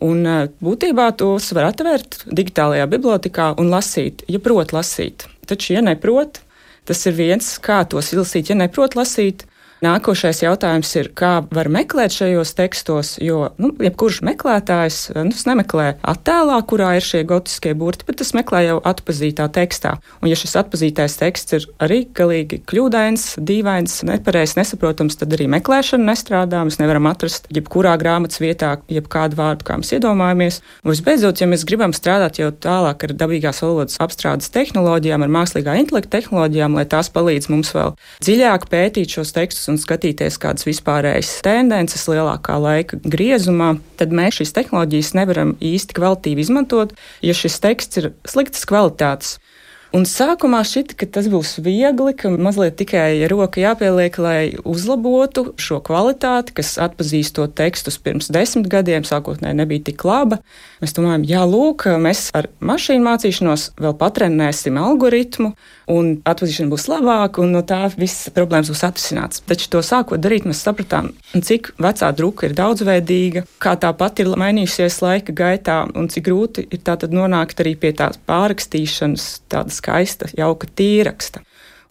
un būtībā tos var atvērt digitālajā bibliotekā un lasīt, ja prot lasīt. Taču, ja neprot, tas ir viens, kā tos izlasīt, ja neprot lasīt. Nākošais jautājums ir, kā var meklēt šajos tekstos, jo jebkurš meklētājs tas nemeklē attēlā, kurā ir šie gotiskie burti, bet tas meklē jau atpazītā tekstā. Un ja šis atpazītais teksts ir arī galīgi kļūdains, dīvains, nepareizs, nesaprotams, tad arī meklēšana nestrādā. Mēs nevaram atrast jebkurā grāmatas vietā jebkādu vārdu, kā mēs iedomājamies. Un visbeidzot, ja mēs gribam strādāt jau tālāk ar dabīgās valodas apstrādes tehnoloģijām, ar mākslīgā intelekta tehnoloģijām, lai tās palīdz mums vēl dziļāk pētīt šos tekstus un skatīties kādas vispārējas tendences lielākā laika griezumā, tad mēs šīs tehnoloģijas nevaram īsti kvalitīvi izmantot, ja šis teksts ir sliktas kvalitātes. Un sākumā šķita, ka tas būs viegli, ka mazliet tikai roka jāpieliek, lai uzlabotu šo kvalitāti, kas atpazīstot tekstus pirms 10 gadiem, sākotnēji nebija tik laba. Mēs domājam, jā, lūk, mēs ar mašīnu mācīšanos vēl patrenēsim algoritmu, un atpazīšana būs labāka, un no tā visas problēmas būs atrisināts. Taču to sākot darīt, mēs sapratām, cik vecā druka ir daudzveidīga, kā tā pati ir mainījusies laika gaitā, un cik grūti ir tātad nonākt arī pie tās pārrakstīšanas, tādas skaista, jauka tīraksta.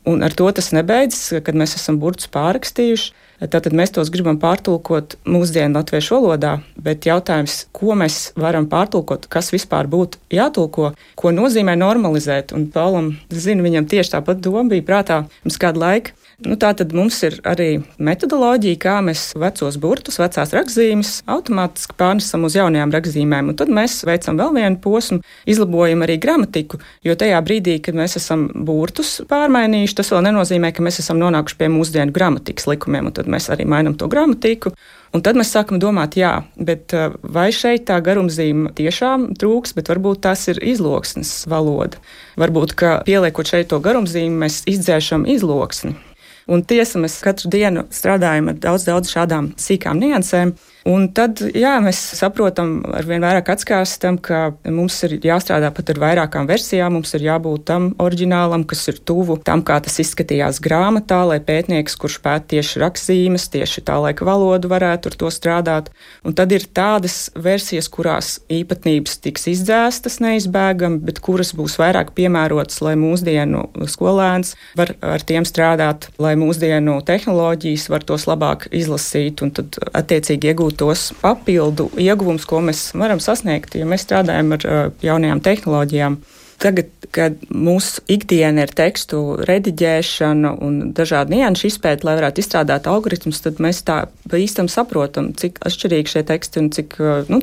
Un ar to tas nebeidzas, kad mēs esam burtus pārrakstījuši. Tātad mēs tos gribam pārtulkot mūsdienu latviešu valodā, bet jautājums, ko mēs varam pārtulkot, kas vispār būtu jātulko, ko nozīmē normalizēt. Un Paulam, zinu, viņam tieši tāpat doma bija prātā pirms kādu laiku. Tātad mums ir arī metodoloģija, kā mēs vecos burtus, vecās rakstzīmes automātiski pārnesam uz jaunajām rakstzīmēm. Un tad mēs veicam vēl vienu posmu, izlabojam arī gramatiku, jo tajā brīdī, kad mēs esam burtus pārmainījuši, tas vēl nenozīmē, ka mēs esam nonākuši pie mūsdienu gramatikas likumiem, un tad mēs arī mainam to gramatiku. Un tad mēs sākam domāt, jā, bet vai šeit tā garumzīme tiešām trūks, bet varbūt tās ir izloksnes valoda. Varbūt, ka pieliekot šeit to garumzīmi, mēs izdzēšam izloksni. Un tiesa, mēs katru dienu strādājam ar daudz šādām sīkām niansēm. Un tad, jā, mēs saprotam, arvien vairāk atskārstam, ka mums ir jāstrādā pat ar vairākām versijām, mums ir jābūt tam oriģinālam, kas ir tuvu tam, kā tas izskatījās grāmatā, lai pētnieks, kurš pēt tieši rakstzīmes, tieši tā laika valodu, varētu ar to strādāt. Un tad ir tādas versijas, kurās īpatnības tiks izdzēstas neizbēgami, bet kuras būs vairāk piemērotas, lai mūsdienu skolēns var ar tiem strādāt, lai mūsdienu tehnoloģijas var tos labāk izlasīt un tad attiecīgi iegūt tos papildu ieguvumus, ko mēs varam sasniegt, ja mēs strādājam ar jaunajām tehnoloģijām. Tagad, kad mūsu ikdiena ir tekstu rediģēšana un dažādi nianšu izpēti, lai varētu izstrādāt algoritmus, tad mēs tā īstam saprotam, cik atšķirīgi šie teksti un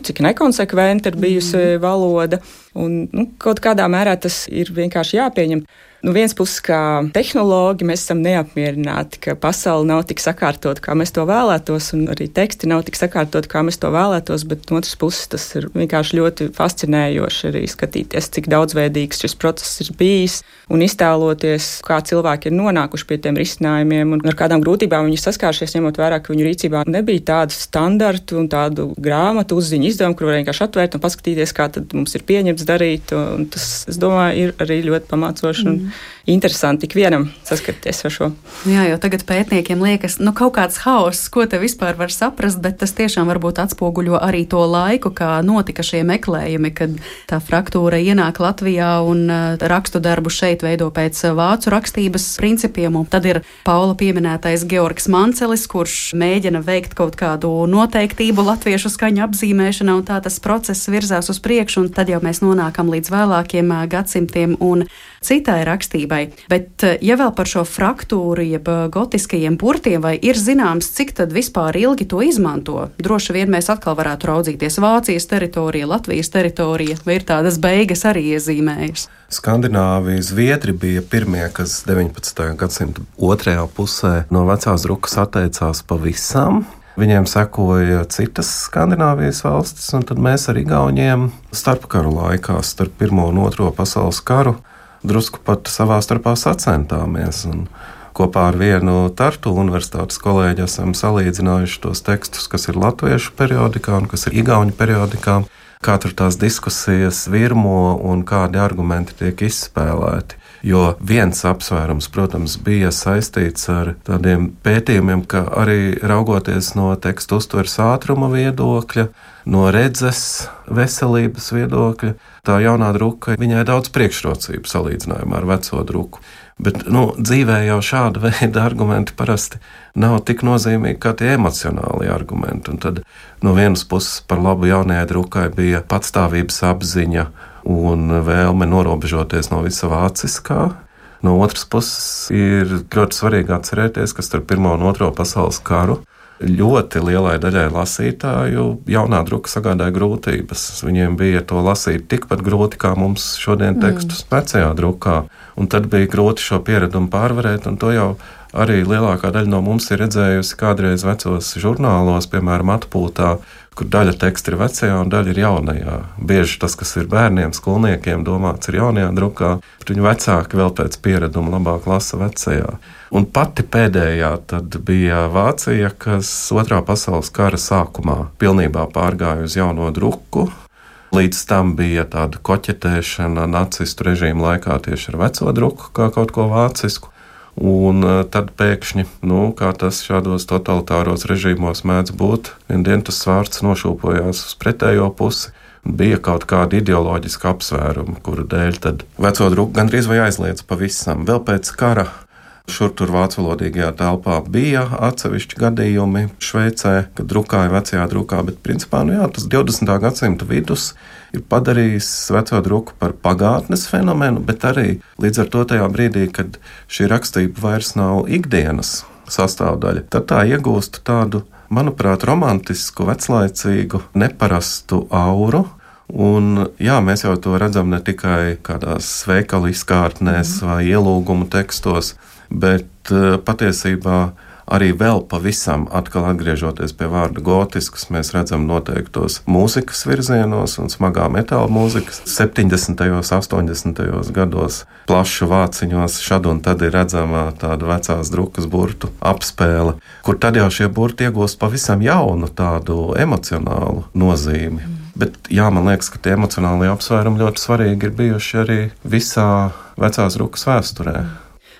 cik nekonsekventi ir bijusi valoda. Un kaut kādā mērā tas ir vienkārši jāpieņem. Viens puses, kā tehnoloģi, mēs esam neapmierināti, ka pasaule nav tik sakārtota, kā mēs to vēlētos, un arī teksti nav tik sakārtoti, kā mēs to vēlētos, bet no otras puses tas ir vienkārši ļoti fascinējoši arī skatīties, cik daudzveidīgs šis process ir bijis, un iztēloties, kā cilvēki ir nonākuši pie tiem risinājumiem, un ar kādām grūtībām viņi saskāršies, ņemot vērā, ka viņu rīcībā nebija tādu standartu un tādu grāmatu uzziņu izdevumu, kur var vienkārši atvērt un paskatīties, kā tad mums ir pieņemts darīt, un tas, es domāju, ir arī ļoti pamācoši un interesanti ikvienam saskarties ar šo. Jā, jo tagad pētniekiem liekas, kaut kāds haoss, ko te vispār var saprast, bet tas tiešām varbūt atspoguļo arī to laiku, kā notika šie meklējumi, kad tā fraktūra ienāk Latvijā un rakstu darbu šeit veido pēc vācu rakstības principiem. Un tad ir Paula pieminētais Georgs Mancelis, kurš mēģina veikt kaut kādu noteiktību latviešu skaņu apzīmēšanā, un tā tas process virzās uz priekšu, un tad jau mēs nonākam līdz vēlākiem gadsimtiem un citai rakstībai. Bet, ja vēl par šo fraktūru, jeb gotiskajiem burtiem, vai ir zināms, cik tad vispār ilgi to izmanto? Droši vien mēs atkal varētu raudzīties Vācijas teritorija, Latvijas teritorija, vai ir tādas beigas arī iezīmējas? Skandināvija, Zviedri bija pirmie, kas 19. gadsimta otrajā pusē no vecās drukas atteicās pavisam. Viņiem sekoja citas Skandināvijas valstis, un tad mēs ar Igauniem starpkaru laikā, starp Pirmo un Otro pasaules karu, drusku pat savā starpā sacentāmies. Un kopā ar vienu Tartu universitātes kolēģi esam salīdzinājuši tos tekstus, kas ir latviešu periodikā un kas ir igauņu periodikā, kā tur tās diskusijas virmo un kādi argumenti tiek izspēlēti. Jo viens apsvērums, protams, bija saistīts ar tādiem pētījumiem, ka arī raugoties no tekstu uztveres ātruma viedokļa, no redzes veselības viedokļa, tā jaunā druka viņai daudz priekšrocību salīdzinājumā ar veco druku. Bet dzīvē jau šāda veida argumenti parasti nav tik nozīmīgi kā tie emocionāli argumenti. Un tad no vienas puses par labu jaunajai drukai bija patstāvības apziņa un vēlme norobežoties no visa vāciskā. No otras puses ir ļoti svarīgi atcerēties, ka starp Pirmo un Otro pasaules karu ļoti lielai daļai lasītāju jaunā druka sagādāja grūtības. Viņiem bija to lasīt tikpat grūti, kā mums šodien tekstus vecajā drukā. Un tad bija grūti šo pieredumu pārvarēt, un to jau arī lielākā daļa no mums ir redzējusi kādreiz vecos žurnālos, piemēram, atpūtā, kur daļa teksta ir vecajā un daļa ir jaunajā. Bieži tas, kas ir bērniem, skolniekiem domāts, ir jaunajā drukā, bet viņu vecāki vēl pēc piereduma labāk lasa vecajā. Un pati pēdējā tad bija Vācija, kas Otrā pasaules kara sākumā pilnībā pārgāja uz jauno druku. Līdz tam bija tāda koķetēšana nacistu režīmu laikā tieši ar veco druku, kā kaut ko vācisku. Un tad pēkšņi, kā tas šādos totalitāros režīmos mēdz būt, vien dienu tas svārds nošūpojās uz pretējo pusi. Bija kaut kāda ideoloģiska apsvēruma, kuru dēļ tad veco druku gandrīz vai aizliedz pavisam. Vēl pēc kara šur tur vācuvalodīgajā telpā bija atsevišķi gadījumi Šveicē, kad drukāja vecajā drukā, bet principā, tas 20. gadsimta vidus ir padarījis veco druku par pagātnes fenomenu, bet arī līdz ar to tajā brīdī, kad šī rakstība vairs nav ikdienas sastāvdaļa, tad tā iegūst tādu, manuprāt, romantisku, veclaicīgu, neparastu auru. Un, mēs jau to redzam ne tikai kādās veikalu izkārtnēs vai ielūgumu tekstos, bet patiesībā arī vēl pavisam atkal atgriežoties pie vārda gotisks, mēs redzam noteiktos mūzikas virzienos un smagā metāla mūzikas. 70. un 80. gados plašu vāciņos šad un tad ir redzama tāda vecās drukas burtu apspēle, kur tad jau šie burti iegūst pavisam jaunu tādu emocionālu nozīmi. Bet man liekas, ka tie emocionālie apsvērumi ļoti svarīgi ir bijuši arī visā vecās drukas vēsturē.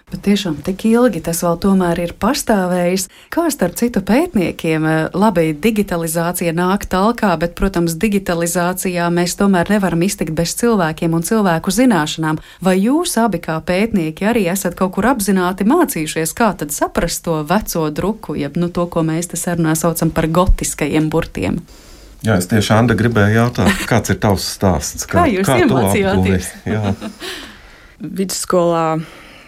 Bet tiešām tik ilgi tas vēl tomēr ir pastāvējis. Kā starp citu pētniekiem, labi, digitalizācija nāk talkā, bet, protams, digitalizācijā mēs tomēr nevaram iztikt bez cilvēkiem un cilvēku zināšanām. Vai jūs abi kā pētnieki arī esat kaut kur apzināti mācījušies, kā tad saprast to veco druku, jeb to, ko mēs te sarunā saucam par gotiskajiem burtiem? Jā, es tieši Anda gribēju jautāt, kāds ir tavs stāsts? Kā jūs iemācījāties? Vidusskolā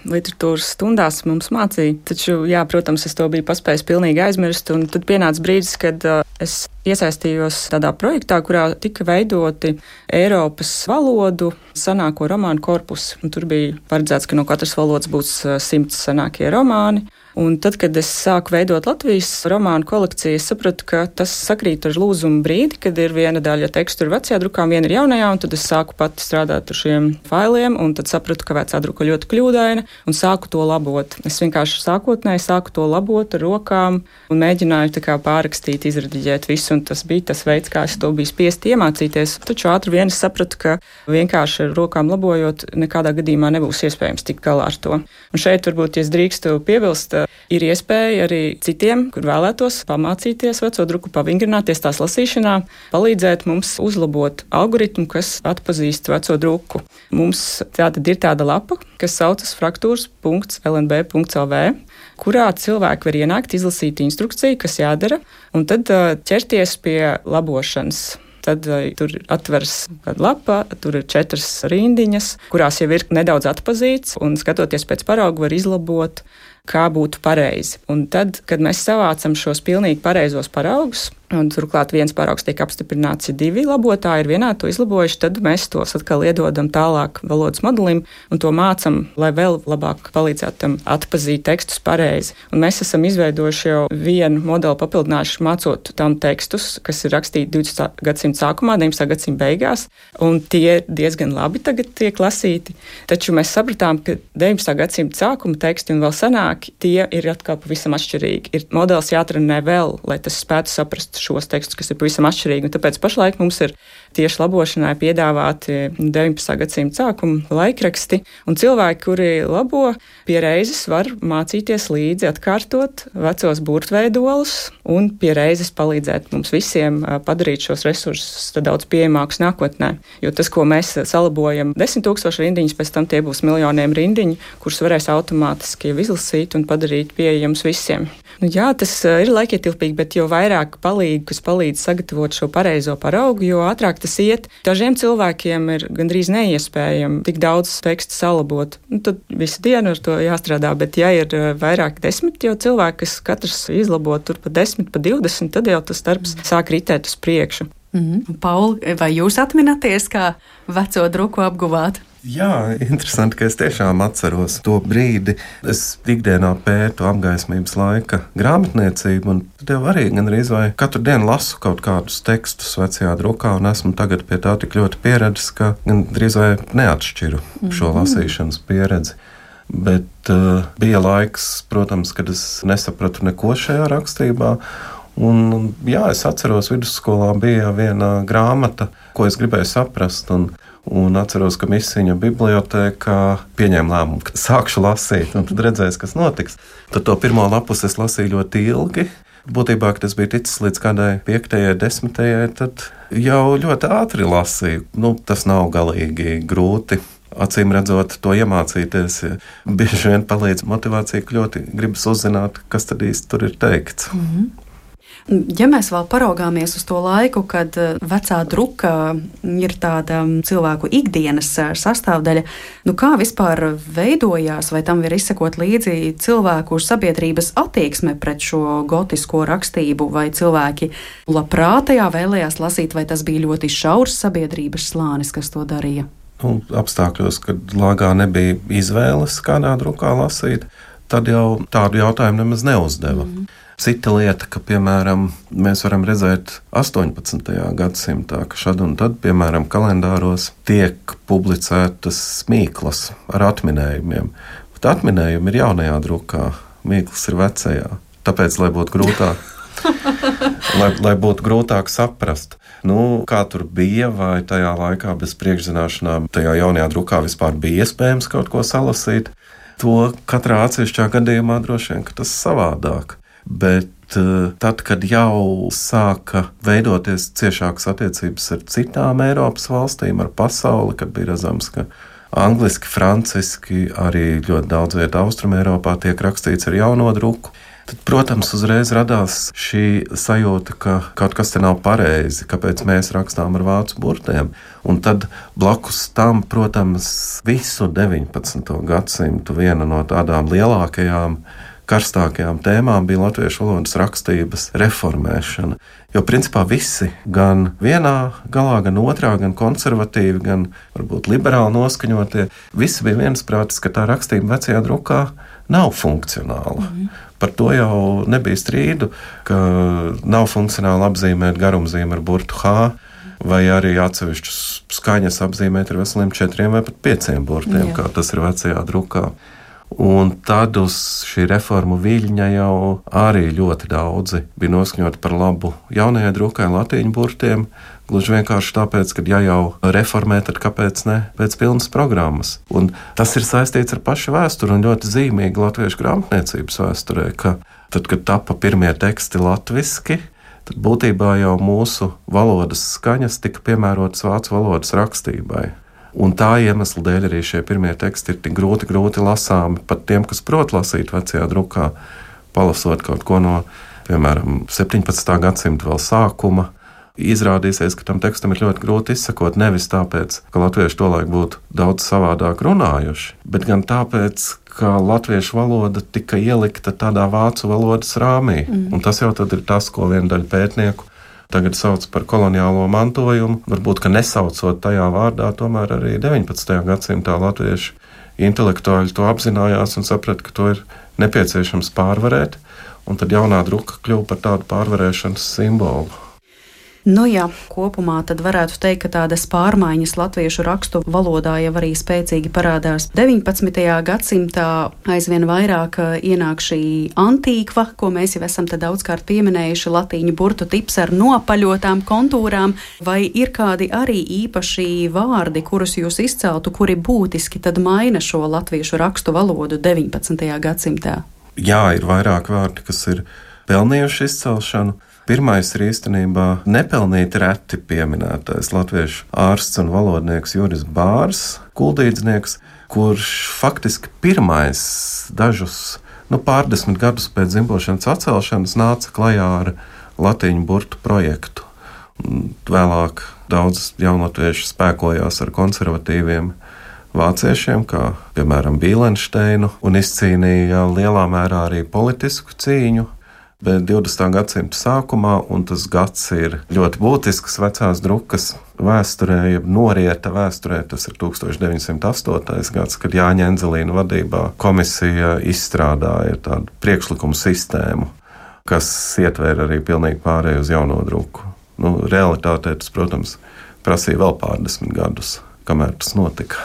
literatūras stundās mums mācīja, taču, protams, es to biju paspējis pilnīgi aizmirst, un tad pienāca brīdis, kad es iesaistījos tādā projektā, kurā tika veidoti Eiropas valodu senāko romānu korpusi. Tur bija paredzēts, ka no katras valodas būs 100 senākie romāni, Un tad, kad es sāku veidot Latvijas romānu kolekciju, es sapratu, ka tas sakrīt ar lūzumu brīdi, kad ir viena daļa tekstu ir vecajā drukā, viena ir jaunajā, un tad es sāku pati strādāt ar šiem failiem, un tad sapratu, ka vecā druka ļoti kļūdaina, un sāku to labot. Es vienkārši sākotnēji sāku to labot ar rokām un mēģināju tā kā pārrakstīt, izrediģēt visu, un tas bija tas veids, kā es to biju spiest iemācīties. Taču ātri vien es sapratu, ka vienkārši ar rokām labojot nekādā gadījumā nebūs iespējams tikt galā ar to. Un šeit varbūt, ja es drīkstu piebilst, ir iespēja arī citiem, kur vēlētos pamācīties veco druku, pavingrināties tās lasīšanā, palīdzēt mums uzlabot algoritmu, kas atpazīst veco druku. Mums tātad ir tāda lapa, kas saucas fraktūras.lnb.lv, kurā cilvēki var ienākt, izlasīt instrukciju, kas jādara, un tad ķerties pie labošanas. Tad tur atveras kāda lapa, tur ir 4 rindiņas, kurās jau ir nedaudz atpazīts, un skatoties pēc parauga var izlabot, kā būtu pareizi. Un tad, kad mēs savācam šos pilnīgi pareizos paraugus, un turklāt viens paraugs tiek apstiprināts, ja 2 labotāji ir vienā to izlabojuši, tad mēs tos atkal iedodam tālāk valodas modelim un to mācam, lai vēl labāk palīdzētu tam atpazīt tekstus pareizi. Un mēs esam izveidojuši jau vienu modeli papildinājuši mācot tam tekstus, kas ir rakstīti 20. gadsimta sākumā, 19. gadsimta beigās, un tie diezgan labi tagad tiek lasīti. Taču mēs sapratām, ka 19. gadsimta sākuma teksti un vēl senāki, tie ir atkal pavisam atšķirīgi. Ir modelis jātrenē vēl, lai tas spētu saprast šos tekstus, kas ir pavisam atšķirīgi. Un tāpēc pašlaik mums ir tieši labošanai piedāvāti 19. gadsimta sākuma laikraksti, un cilvēki, kuri labo, pie reizes var mācīties līdzi, atkārtot vecos burtveidolus un pie reizes palīdzēt mums visiem padarīt šos resursus daudz pieejamākus nākotnē. Jo tas, ko mēs salabojam 10 000 rindiņas, pēc tam tie būs miljoniem rindiņu, kurus varēs automātiski izlasīt un padarīt pieejams visiem. Nu, jā, tas ir laikietilpīgi, bet jo vairāk kas palīdz sagatavot šo pareizo paraugu, jo ātrāk tas iet. Dažiem cilvēkiem ir gandrīz neiespējami tik daudz tekstu salabot. Nu, tad visu dienu ar to jāstrādā, bet ja ir vairāk 10 jau cilvēki, kas katrs izlabo tur pa 10, pa 20, tad jau tas darbs sāk ritēt uz priekšu. Paul, vai jūs atminaties, kā veco druku apguvāt? Jā, interesanti, ka es tiešām atceros to brīdi. Es ikdienā pētu apgaismības laika grāmatniecību, un tad jau arī gandrīz vai katru dienu lasu kaut kādus tekstus vecajā drukā, un esmu tagad pie tā tik ļoti pieredzis, ka gandrīz vai neatšķiru šo lasīšanas pieredzi. Bet bija laiks, protams, kad es nesapratu neko šajā rakstībā. Un, jā, es atceros, vidusskolā bija viena grāmata, ko es gribēju saprast, un atceros, ka Misiņa bibliotēkā pieņēma lēmumu, ka sākšu lasīt, un tad redzēs, kas notiks. Tad to pirmo lapus es lasīju ļoti ilgi. Būtībā, kad es biju ticis līdz kādai 5., 10., tad jau ļoti ātri lasīju. Nu, tas nav galīgi grūti. Acīm redzot, to iemācīties, bieži vien palīdz motivācija, ka ļoti gribas uzzināt, kas tad īsti tur ir teikts. Ja mēs vēl paraugāmies uz to laiku, kad vecā druka ir tāda cilvēku ikdienas sastāvdaļa, nu kā vispār veidojās, vai tam var izsekot līdzi cilvēku sabiedrības attieksme pret šo gotisko rakstību, vai cilvēki labprātajā vēlējās lasīt, vai tas bija ļoti šaurs sabiedrības slānis, kas to darīja? Apstākļos, kad lāgā nebija izvēles, kādā drukā lasīt, tad jau tādu jautājumu nemaz neuzdeva. Cita lieta, ka, piemēram, mēs varam redzēt 18. gadsimtā, ka šad un tad, piemēram, kalendāros tiek publicētas mīklas ar atminējumiem. Bet atminējumi ir jaunajā drukā, mīklas ir vecajā. Tāpēc, lai būtu grūtāk, lai būtu grūtāk saprast, nu, kā tur bija, vai tajā laikā bez priekšzināšanām tajā jaunajā drukā vispār bija iespējams kaut ko salasīt, to katrā atsevišķā gadījumā droši vien, ka tas savādāk. Bet tad, kad jau sāka veidoties ciešākas attiecības ar citām Eiropas valstīm, ar pasauli, kad bija redzams, ka angliski, franciski, arī ļoti daudz vietā Austrum Eiropā tiek rakstīts ar jauno druku, tad, protams, uzreiz radās šī sajūta, ka kaut kas te nav pareizi, kāpēc mēs rakstām ar vācu burtiem. Un tad blakus tam, protams, visu 19. gadsimtu viena no tādām lielākajām karstākajām tēmām bija latviešu valodas rakstības reformēšana. Jo principā visi, gan vienā galā, gan otrā, gan konservatīvi, gan varbūt liberāli noskaņotie, visi bija viensprātis, ka tā rakstība vecajā drukā nav funkcionāla. Par to jau nebija strīdu, ka nav funkcionāli apzīmēt garumzīmi ar burtu H, vai arī atsevišķus skaņas apzīmēt ar veseliem 4 vai pat 5 burtiem, kā tas ir vecajā drukā. Un tad uz šī reformu viļņa jau arī ļoti daudzi bija noskaņoti par labu jaunajai drukai latīņu burtiem, gluži vienkārši tāpēc, ka ja jau reformē, tad kāpēc ne pēc pilnas programmas. Un tas ir saistīts ar pašu vēsturi un ļoti zīmīgi latviešu grāmatniecības vēsturē, ka tad, kad tapa pirmie teksti latviski, tad būtībā jau mūsu valodas skaņas tika piemērotas vācu valodas rakstībai. Un tā iemesla dēļ arī šie pirmie teksti ir tik grūti lasāmi pat tiem, kas prot lasīt vecajā drukā, palasot kaut ko no, piemēram, 17. gadsimta vēl sākuma. Izrādīsies, ka tam tekstam ir ļoti grūti izsakot, nevis tāpēc, ka latvieši tolaik būtu daudz savādāk runājuši, bet gan tāpēc, ka latviešu valoda tika ielikta tādā vācu valodas rāmī. Un tas jau tad ir tas, ko viena daļa pētnieku tagad sauc par koloniālo mantojumu, varbūt, ka nesaucot tajā vārdā, tomēr arī 19. gadsimtā latvieši intelektuāļi to apzinājās un saprata, ka to ir nepieciešams pārvarēt, un tad jaunā druka kļuva par tādu pārvarēšanas simbolu. Nu jā, kopumā tad varētu teikt, ka tādas pārmaiņas latviešu rakstu valodā jau arī spēcīgi parādās 19. gadsimtā. Aizvien vairāk ienāk šī antīkva, ko mēs jau esam te daudzkārt pieminējuši, latīņu burtu tips ar nopaļotām kontūrām. Vai ir kādi arī īpaši vārdi, kurus jūs izceltu, kuri būtiski tad maina šo latviešu rakstu valodu 19. gadsimtā? Jā, ir vairāk vārdi, kas ir pelnījuši izcelšanu. Pirmais ir īstenībā nepelnīti reti pieminētais latviešu ārsts un valodnieks Juris Bārs, kuldīdznieks, kurš faktiski pirmais dažus pārdesmit gadus pēc dzimbošanas atcelšanas nāca klajā ar latīņu burtu projektu. Vēlāk daudz jaunatviešu spēkojās ar konservatīviem vāciešiem, kā piemēram Bīlenšteinu, un izcīnīja lielā mērā arī politisku cīņu. Bet 20. gadsimta sākumā, un tas gads ir ļoti būtisks vecās drukas vēsturē, jeb norieta vēsturē, tas ir 1908. gads, kad Jāņa Enzelīna vadībā komisija izstrādāja tādu priekšlikumu sistēmu, kas ietvēra arī pilnīgi pārēju uz jauno druku. Realitātē tas, protams, prasīja vēl pārdesmit gadus, kamēr tas notika.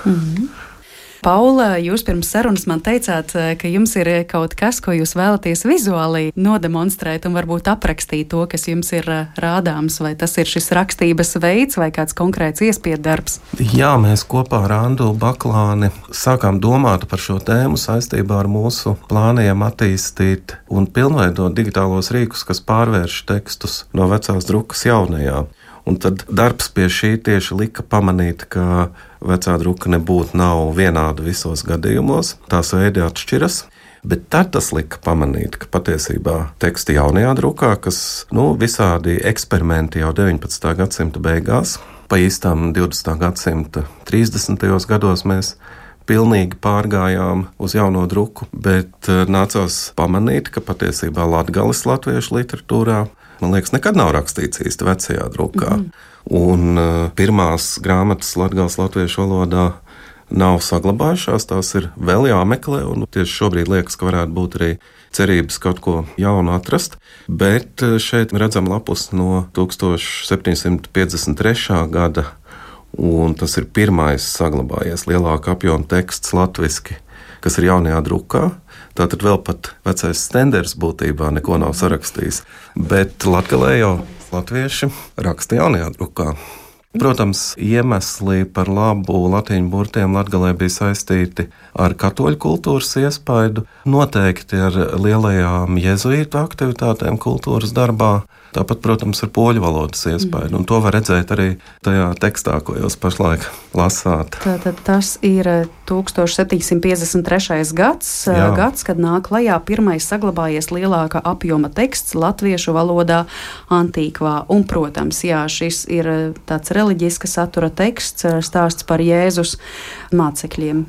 Paula, jūs pirms sarunas man teicāt, ka jums ir kaut kas, ko jūs vēlaties vizuāli nodemonstrēt un varbūt aprakstīt to, kas jums ir rādāms, vai tas ir šis rakstības veids vai kāds konkrēts iespiedarbs? Jā, mēs kopā ar Andu Baklāni sākām domāt par šo tēmu saistībā ar mūsu plāniem attīstīt un pilnveidot digitālos rīkus, kas pārvērš tekstus no vecās drukas jaunajā. Un tad darbs pie šī tieši lika pamanīt, ka vecā druka nav vienāda visos gadījumos, tās veidi atšķiras, bet tad tas lika pamanīt, ka patiesībā teksti jaunajā drukā, kas visādi eksperimenti jau 19. gadsimta beigās, pa īstām 20. gadsimta 30. gados mēs pilnīgi pārgājām uz jauno druku, bet nācās pamanīt, ka patiesībā latgales latviešu literatūrā, man liekas, nekad nav rakstīts īsti vecajā drukā. Un pirmās grāmatas latgales latviešu valodā nav saglabājušās, tās ir vēl jāmeklē, un tieši šobrīd liekas, ka varētu būt arī cerības kaut ko jaunu atrast. Bet šeit redzam lapus no 1753. gada, un tas ir pirmais saglabājies lielāka apjoma teksts latviski, kas ir jaunajā drukā. Tātad vēl pat vecais Stenders būtībā neko nav sarakstījis. Bet latgalē jau latvieši raksta jaunajā drukā. Protams, iemesli par labu latīņu burtiem latgalē bija saistīti ar katoļu kultūras iespaidu, noteikti ar lielajām jezuītu aktivitātēm kultūras darbā, tāpat, protams, ar poļu valodas iespaidu. Un to var redzēt arī tajā tekstā, ko jūs pašlaik lasāt. Tātad tas ir 1753. gads, kad nāk klajā pirmais saglabājies lielāka apjoma teksts latviešu valodā antīkvā. Un, protams, jā, šis ir tāds reliģiska satura teksts, stāsts par Jēzus mācekļiem.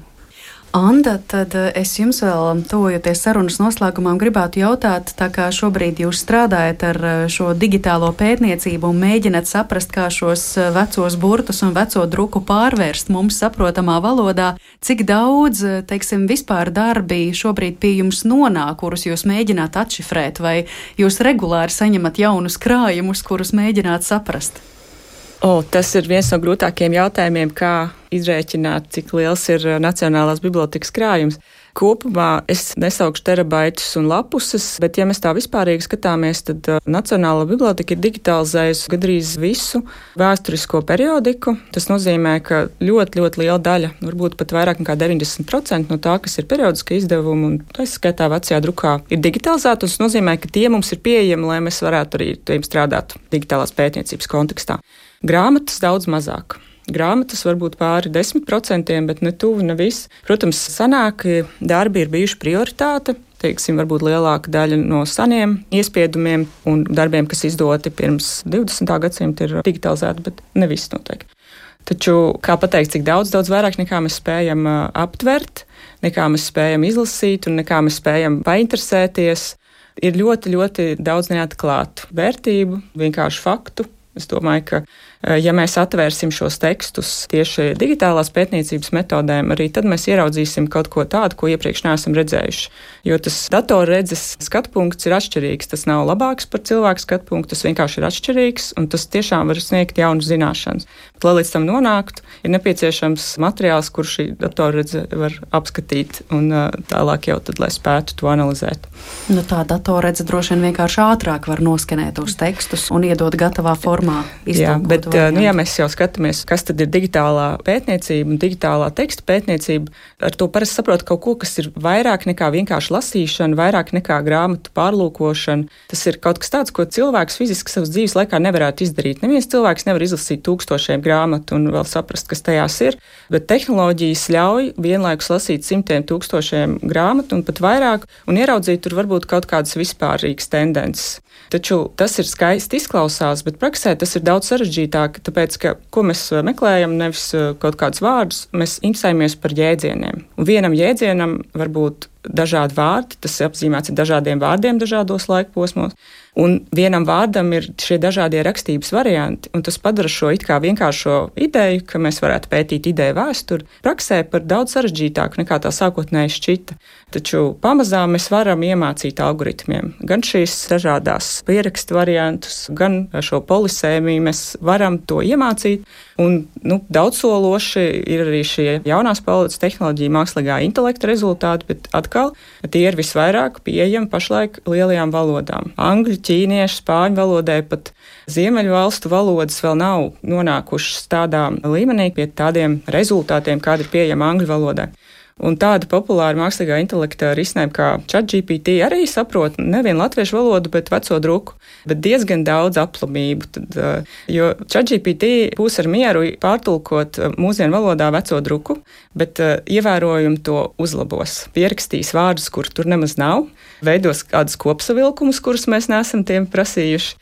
Anda, tad es jums vēl, tuvojoties sarunas noslēgumam, gribētu jautāt, tā kā šobrīd jūs strādājat ar šo digitālo pētniecību un mēģināt saprast, kā šos vecos burtus un veco druku pārvērst mums saprotamā valodā, cik daudz, teiksim, vispār darbi šobrīd pie jums nonāk, kurus jūs mēģināt atšifrēt, vai jūs regulāri saņemat jaunus krājumus, kurus mēģināt saprast? Tas ir viens no grūtākiem jautājumiem, kā izrēķināt, cik liels ir Nacionālās bibliotekas krājums. Kopumā es nesaukšu terabaitus un lapuses, bet ja mēs tā vispārīgi skatāmies, tad Nacionālā biblioteka ir digitalizējusi gandrīz visu vēsturisko periodiku. Tas nozīmē, ka ļoti, ļoti liela daļa, varbūt pat vairāk nekā 90% no tā, kas ir periodiska izdevuma un tā skaitā vecajā drukā, ir digitalizēta. Tas nozīmē, ka tie mums ir pieejami, lai mēs varētu arī tiem strādāt digitālās pētniecības kontekstā. Grāmatas daudz mazāk. Grāmatas varbūt pāri 10%, bet ne tuvu, ne viss. Protams, senākie darbi ir bijuši prioritāte. Teiksim, varbūt lielāka daļa no seniem iespiedumiem un darbiem, kas izdoti pirms 20. gadsimta, ir digitalizēti, bet ne viss noteikti. Taču, kā pateikt, cik daudz vairāk nekā mēs spējam aptvert, nekā mēs spējam izlasīt un nekā mēs spējam painteresēties, ir ļoti, ļoti daudz neatklātu vērtību, vienkārši faktu. Es domāju, ka, ja mēs atvērsim šos tekstus tieši digitālās pētniecības metodēm, arī tad mēs ieraudzīsim kaut ko tādu, ko iepriekš neesam redzējuši. Jo tas datorredzes skatpunkts ir atšķirīgs. Tas nav labāks par cilvēku skatpunktu, tas vienkārši ir atšķirīgs, un tas tiešām var sniegt jaunas zināšanas. Bet, lai līdz tam nonāktu, ir nepieciešams materiāls, kur šī datorredze var apskatīt, un tālāk jau tad, lai spētu to analizēt. Tā datorredze droši vien vienkārši ātrāk var noskenēt tos tekstus un iedot gatavā formā. Jā, bet ja mēs jau skatāmies, kas tad ir digitālā pētniecība un digitālā teksta pētniecība, ar to parasti saprot kaut ko, kas ir vairāk nekā vienkārši lasīšana, vairāk nekā grāmatu pārlūkošana. Tas ir kaut kas tāds, ko cilvēks fiziski savas dzīves laikā nevarētu izdarīt. Neviens cilvēks nevar izlasīt 1000 grāmatu un vēl saprast, kas tajās ir, bet tehnoloģijas ļauj vienlaikus lasīt 100 000 grāmatu un pat vairāk un ieraudzīt tur varbūt kaut kādas vispārīgas tendences. Taču tas ir skaisti izklausās, bet praksē tas ir daudz sarežģītāk, tāpēc, ka, ko mēs meklējam, nevis kaut kādus vārdus, mēs interesējamies par jēdzieniem. Un vienam jēdzienam var būt dažādi vārdi, tas apzīmēts ar dažādiem vārdiem dažādos laikposmos, un vienam vārdam ir šie dažādie rakstības varianti, un tas padara šo it kā vienkāršo ideju, ka mēs varētu pētīt ideju vēsturi, praksē par daudz sarežģītāku nekā tā sākotnēji šķita. Taču pamazām mēs varam iemācīt algoritmiem gan šīs dažādās pierakstu variantus, gan šo polisēmiju mēs varam to iemācīt, un daudzsološi ir arī šie jaunās paudzes tehnoloģija mākslīgā intelekta rezultāti, bet atkal tie ir visvairāk pieejami pašlaik lielajām valodām. Angļu, ķīniešu, spāņu valodai pat ziemeļu valstu valodas vēl nav nonākušas tādā līmenī pie tādiem rezultātiem, kādi ir pieejami angļu valodai. Un tāda populāra mākslīgā intelekta risinājuma kā ChatGPT arī saprot nevien latviešu valodu, bet veco druku, bet diezgan daudz aplamību. Jo ChatGPT būs ar mieru pārtulkot mūsdienu valodā veco druku, bet ievērojumi to uzlabos. Pierakstīs vārdus, kur tur nemaz nav, veidos kādus kopsavilkumus, kurus mēs neesam tiem prasījuši.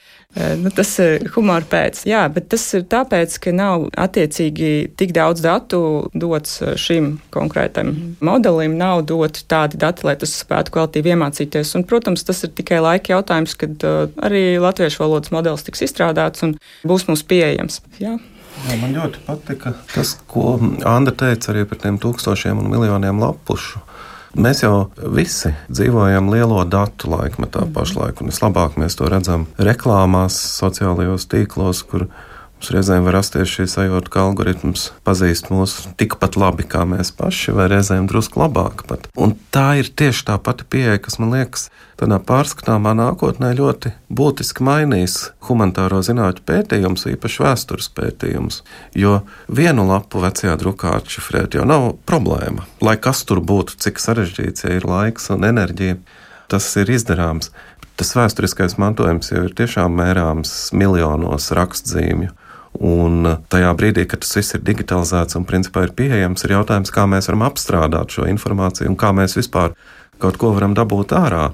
Tas ir humora pēc. Jā, bet tas ir tāpēc, ka nav attiecīgi tik daudz datu dots šim konkrētam modelim, nav doti tādi dati, lai tas spētu kvalitīvi iemācīties. Un, protams, tas ir tikai laika jautājums, kad arī latviešu valodas modelis tiks izstrādāts un būs mums pieejams. Jā. Jā, man ļoti patika tas, ko Anda teica arī par tiem tūkstošiem un miljoniem lapušu. Mēs jau visi dzīvojam lielo datu laikmetā pašlaik, un vislabāk mēs to redzam reklāmās, sociālajos tīklos, kur mums reizēm var rasties šī sajūta, ka algoritms pazīst mūs tikpat labi kā mēs paši, vai reizēm drusku labāk pat. Un tā ir tieši tā pati pieeja, kas man liekas tādā pārskatāmā nākotnē ļoti būtiski mainīs humanitāro zinātņu pētījumus, īpaši vēstures pētījumus, jo vienu lapu vecajā drukā atšifrēt jau nav problēma. Lai kas tur būtu, cik sarežģīts, ja ir laiks un enerģija, tas ir izdarāms. Tas vēsturiskais mantojums jau ir tiešām mērāms miljonos rakstzīmju. Un tajā brīdī, kad tas viss ir digitalizēts un principā ir pieejams, ir jautājums, kā mēs varam apstrādāt šo informāciju un kā mēs vispār kaut ko varam dabūt ārā.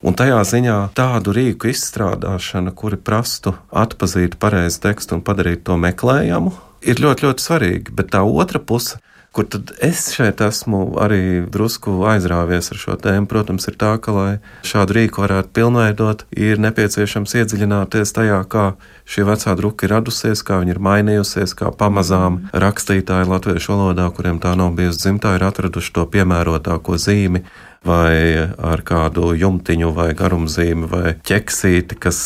Un tajā ziņā tādu rīku izstrādāšana, kuri prastu atpazīt pareizu tekstu un padarīt to meklējamu, ir ļoti, ļoti svarīgi. Bet tā otra puse, Kur tad es šeit esmu arī drusku aizrāvies ar šo tēmu, protams, ir tā, ka, lai šādu rīku varētu pilnveidot, ir nepieciešams iedziļināties tajā, kā šī vecā druka ir radusies, kā viņa ir mainījusies, kā pamazām rakstītāji latviešu valodā, kuriem tā nav bijusi dzimtā, ir atraduši to piemērotāko zīmi, vai ar kādu jumtiņu, vai garumzīmi, vai ķeksīti, kas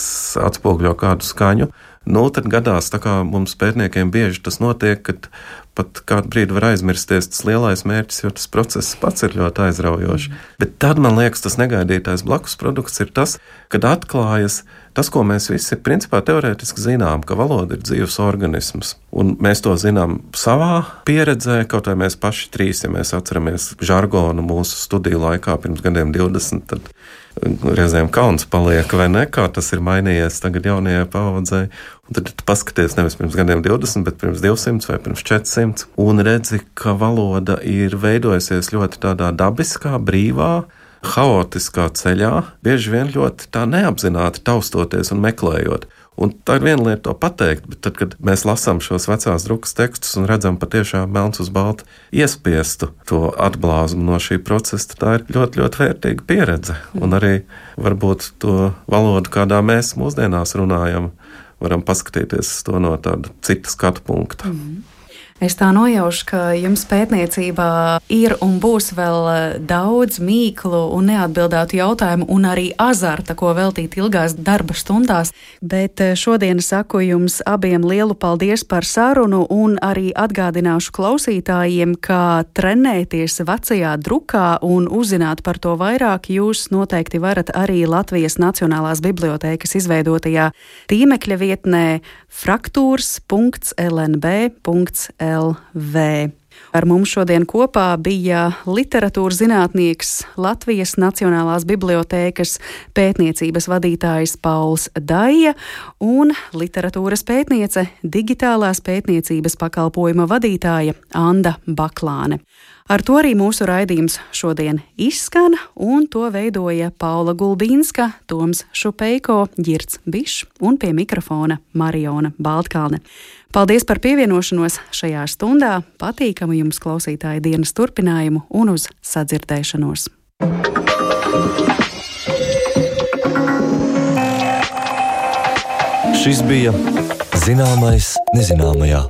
atspoguļo kādu skaņu. Tad gadās, tā kā mums pētniekiem bieži tas notiek, ka pat kādu brīdi var aizmirsties tas lielais mērķis, jo tas process pats ir ļoti aizraujošs. Bet tad, man liekas, tas negaidītais blakus produkts ir tas, kad atklājas tas, ko mēs visi principā teorētiski zinām, ka valoda ir dzīves organisms. Un mēs to zinām savā pieredzē, kaut vai mēs paši trīs, ja mēs atceramies žargonu mūsu studiju laikā pirms gadiem 20, tad reizēm kauns paliek, vai ne, kā tas ir mainījies tagad jaunajai paaudzei. Un tad tu paskaties nevis pirms gadiem 20, bet pirms 200 vai pirms 400, un redzi, ka valoda ir veidojusies ļoti tādā dabiskā, brīvā, haotiskā ceļā, bieži vien ļoti tā neapzināti taustoties un meklējot. Un tā ir viena lieta to pateikt, bet tad, kad mēs lasām šos vecās drukas tekstus un redzam patiešām melns uz balta iespiestu to atblāzmu no šī procesa, tā ir ļoti, ļoti vērtīga pieredze. Un arī varbūt to valodu, kādā mēs mūsdienās runājam, varam paskatīties to no tāda cita skatu punkta. Es tā nojaušu, ka jums pētniecībā ir un būs vēl daudz mīklu un neatbildētu jautājumu un arī azarta, ko veltīt ilgās darba stundās. Bet šodien saku jums abiem lielu paldies par sarunu un arī atgādināšu klausītājiem, ka trenēties vecajā drukā un uzzināt par to vairāk jūs noteikti varat arī Latvijas Nacionālās bibliotēkas izveidotajā tīmekļa vietnē fraktūrs.lnb.lv. Ar mums šodien kopā bija literatūras zinātnieks, Latvijas Nacionālās bibliotēkas pētniecības vadītājs Pauls Daija un literatūras pētniece, digitālās pētniecības pakalpojuma vadītāja Anda Baklāne. Ar to arī mūsu raidījums šodien izskan, un to veidoja Paula Gulbīnska, Toms Šupeiko, Girts Bišs un pie mikrofona Mariona Baltkalne. Paldies par pievienošanos šajā stundā, patīkamu jums klausītāju dienas turpinājumu un uz sadzirdēšanos. Šis bija Zināmais nezināmajā.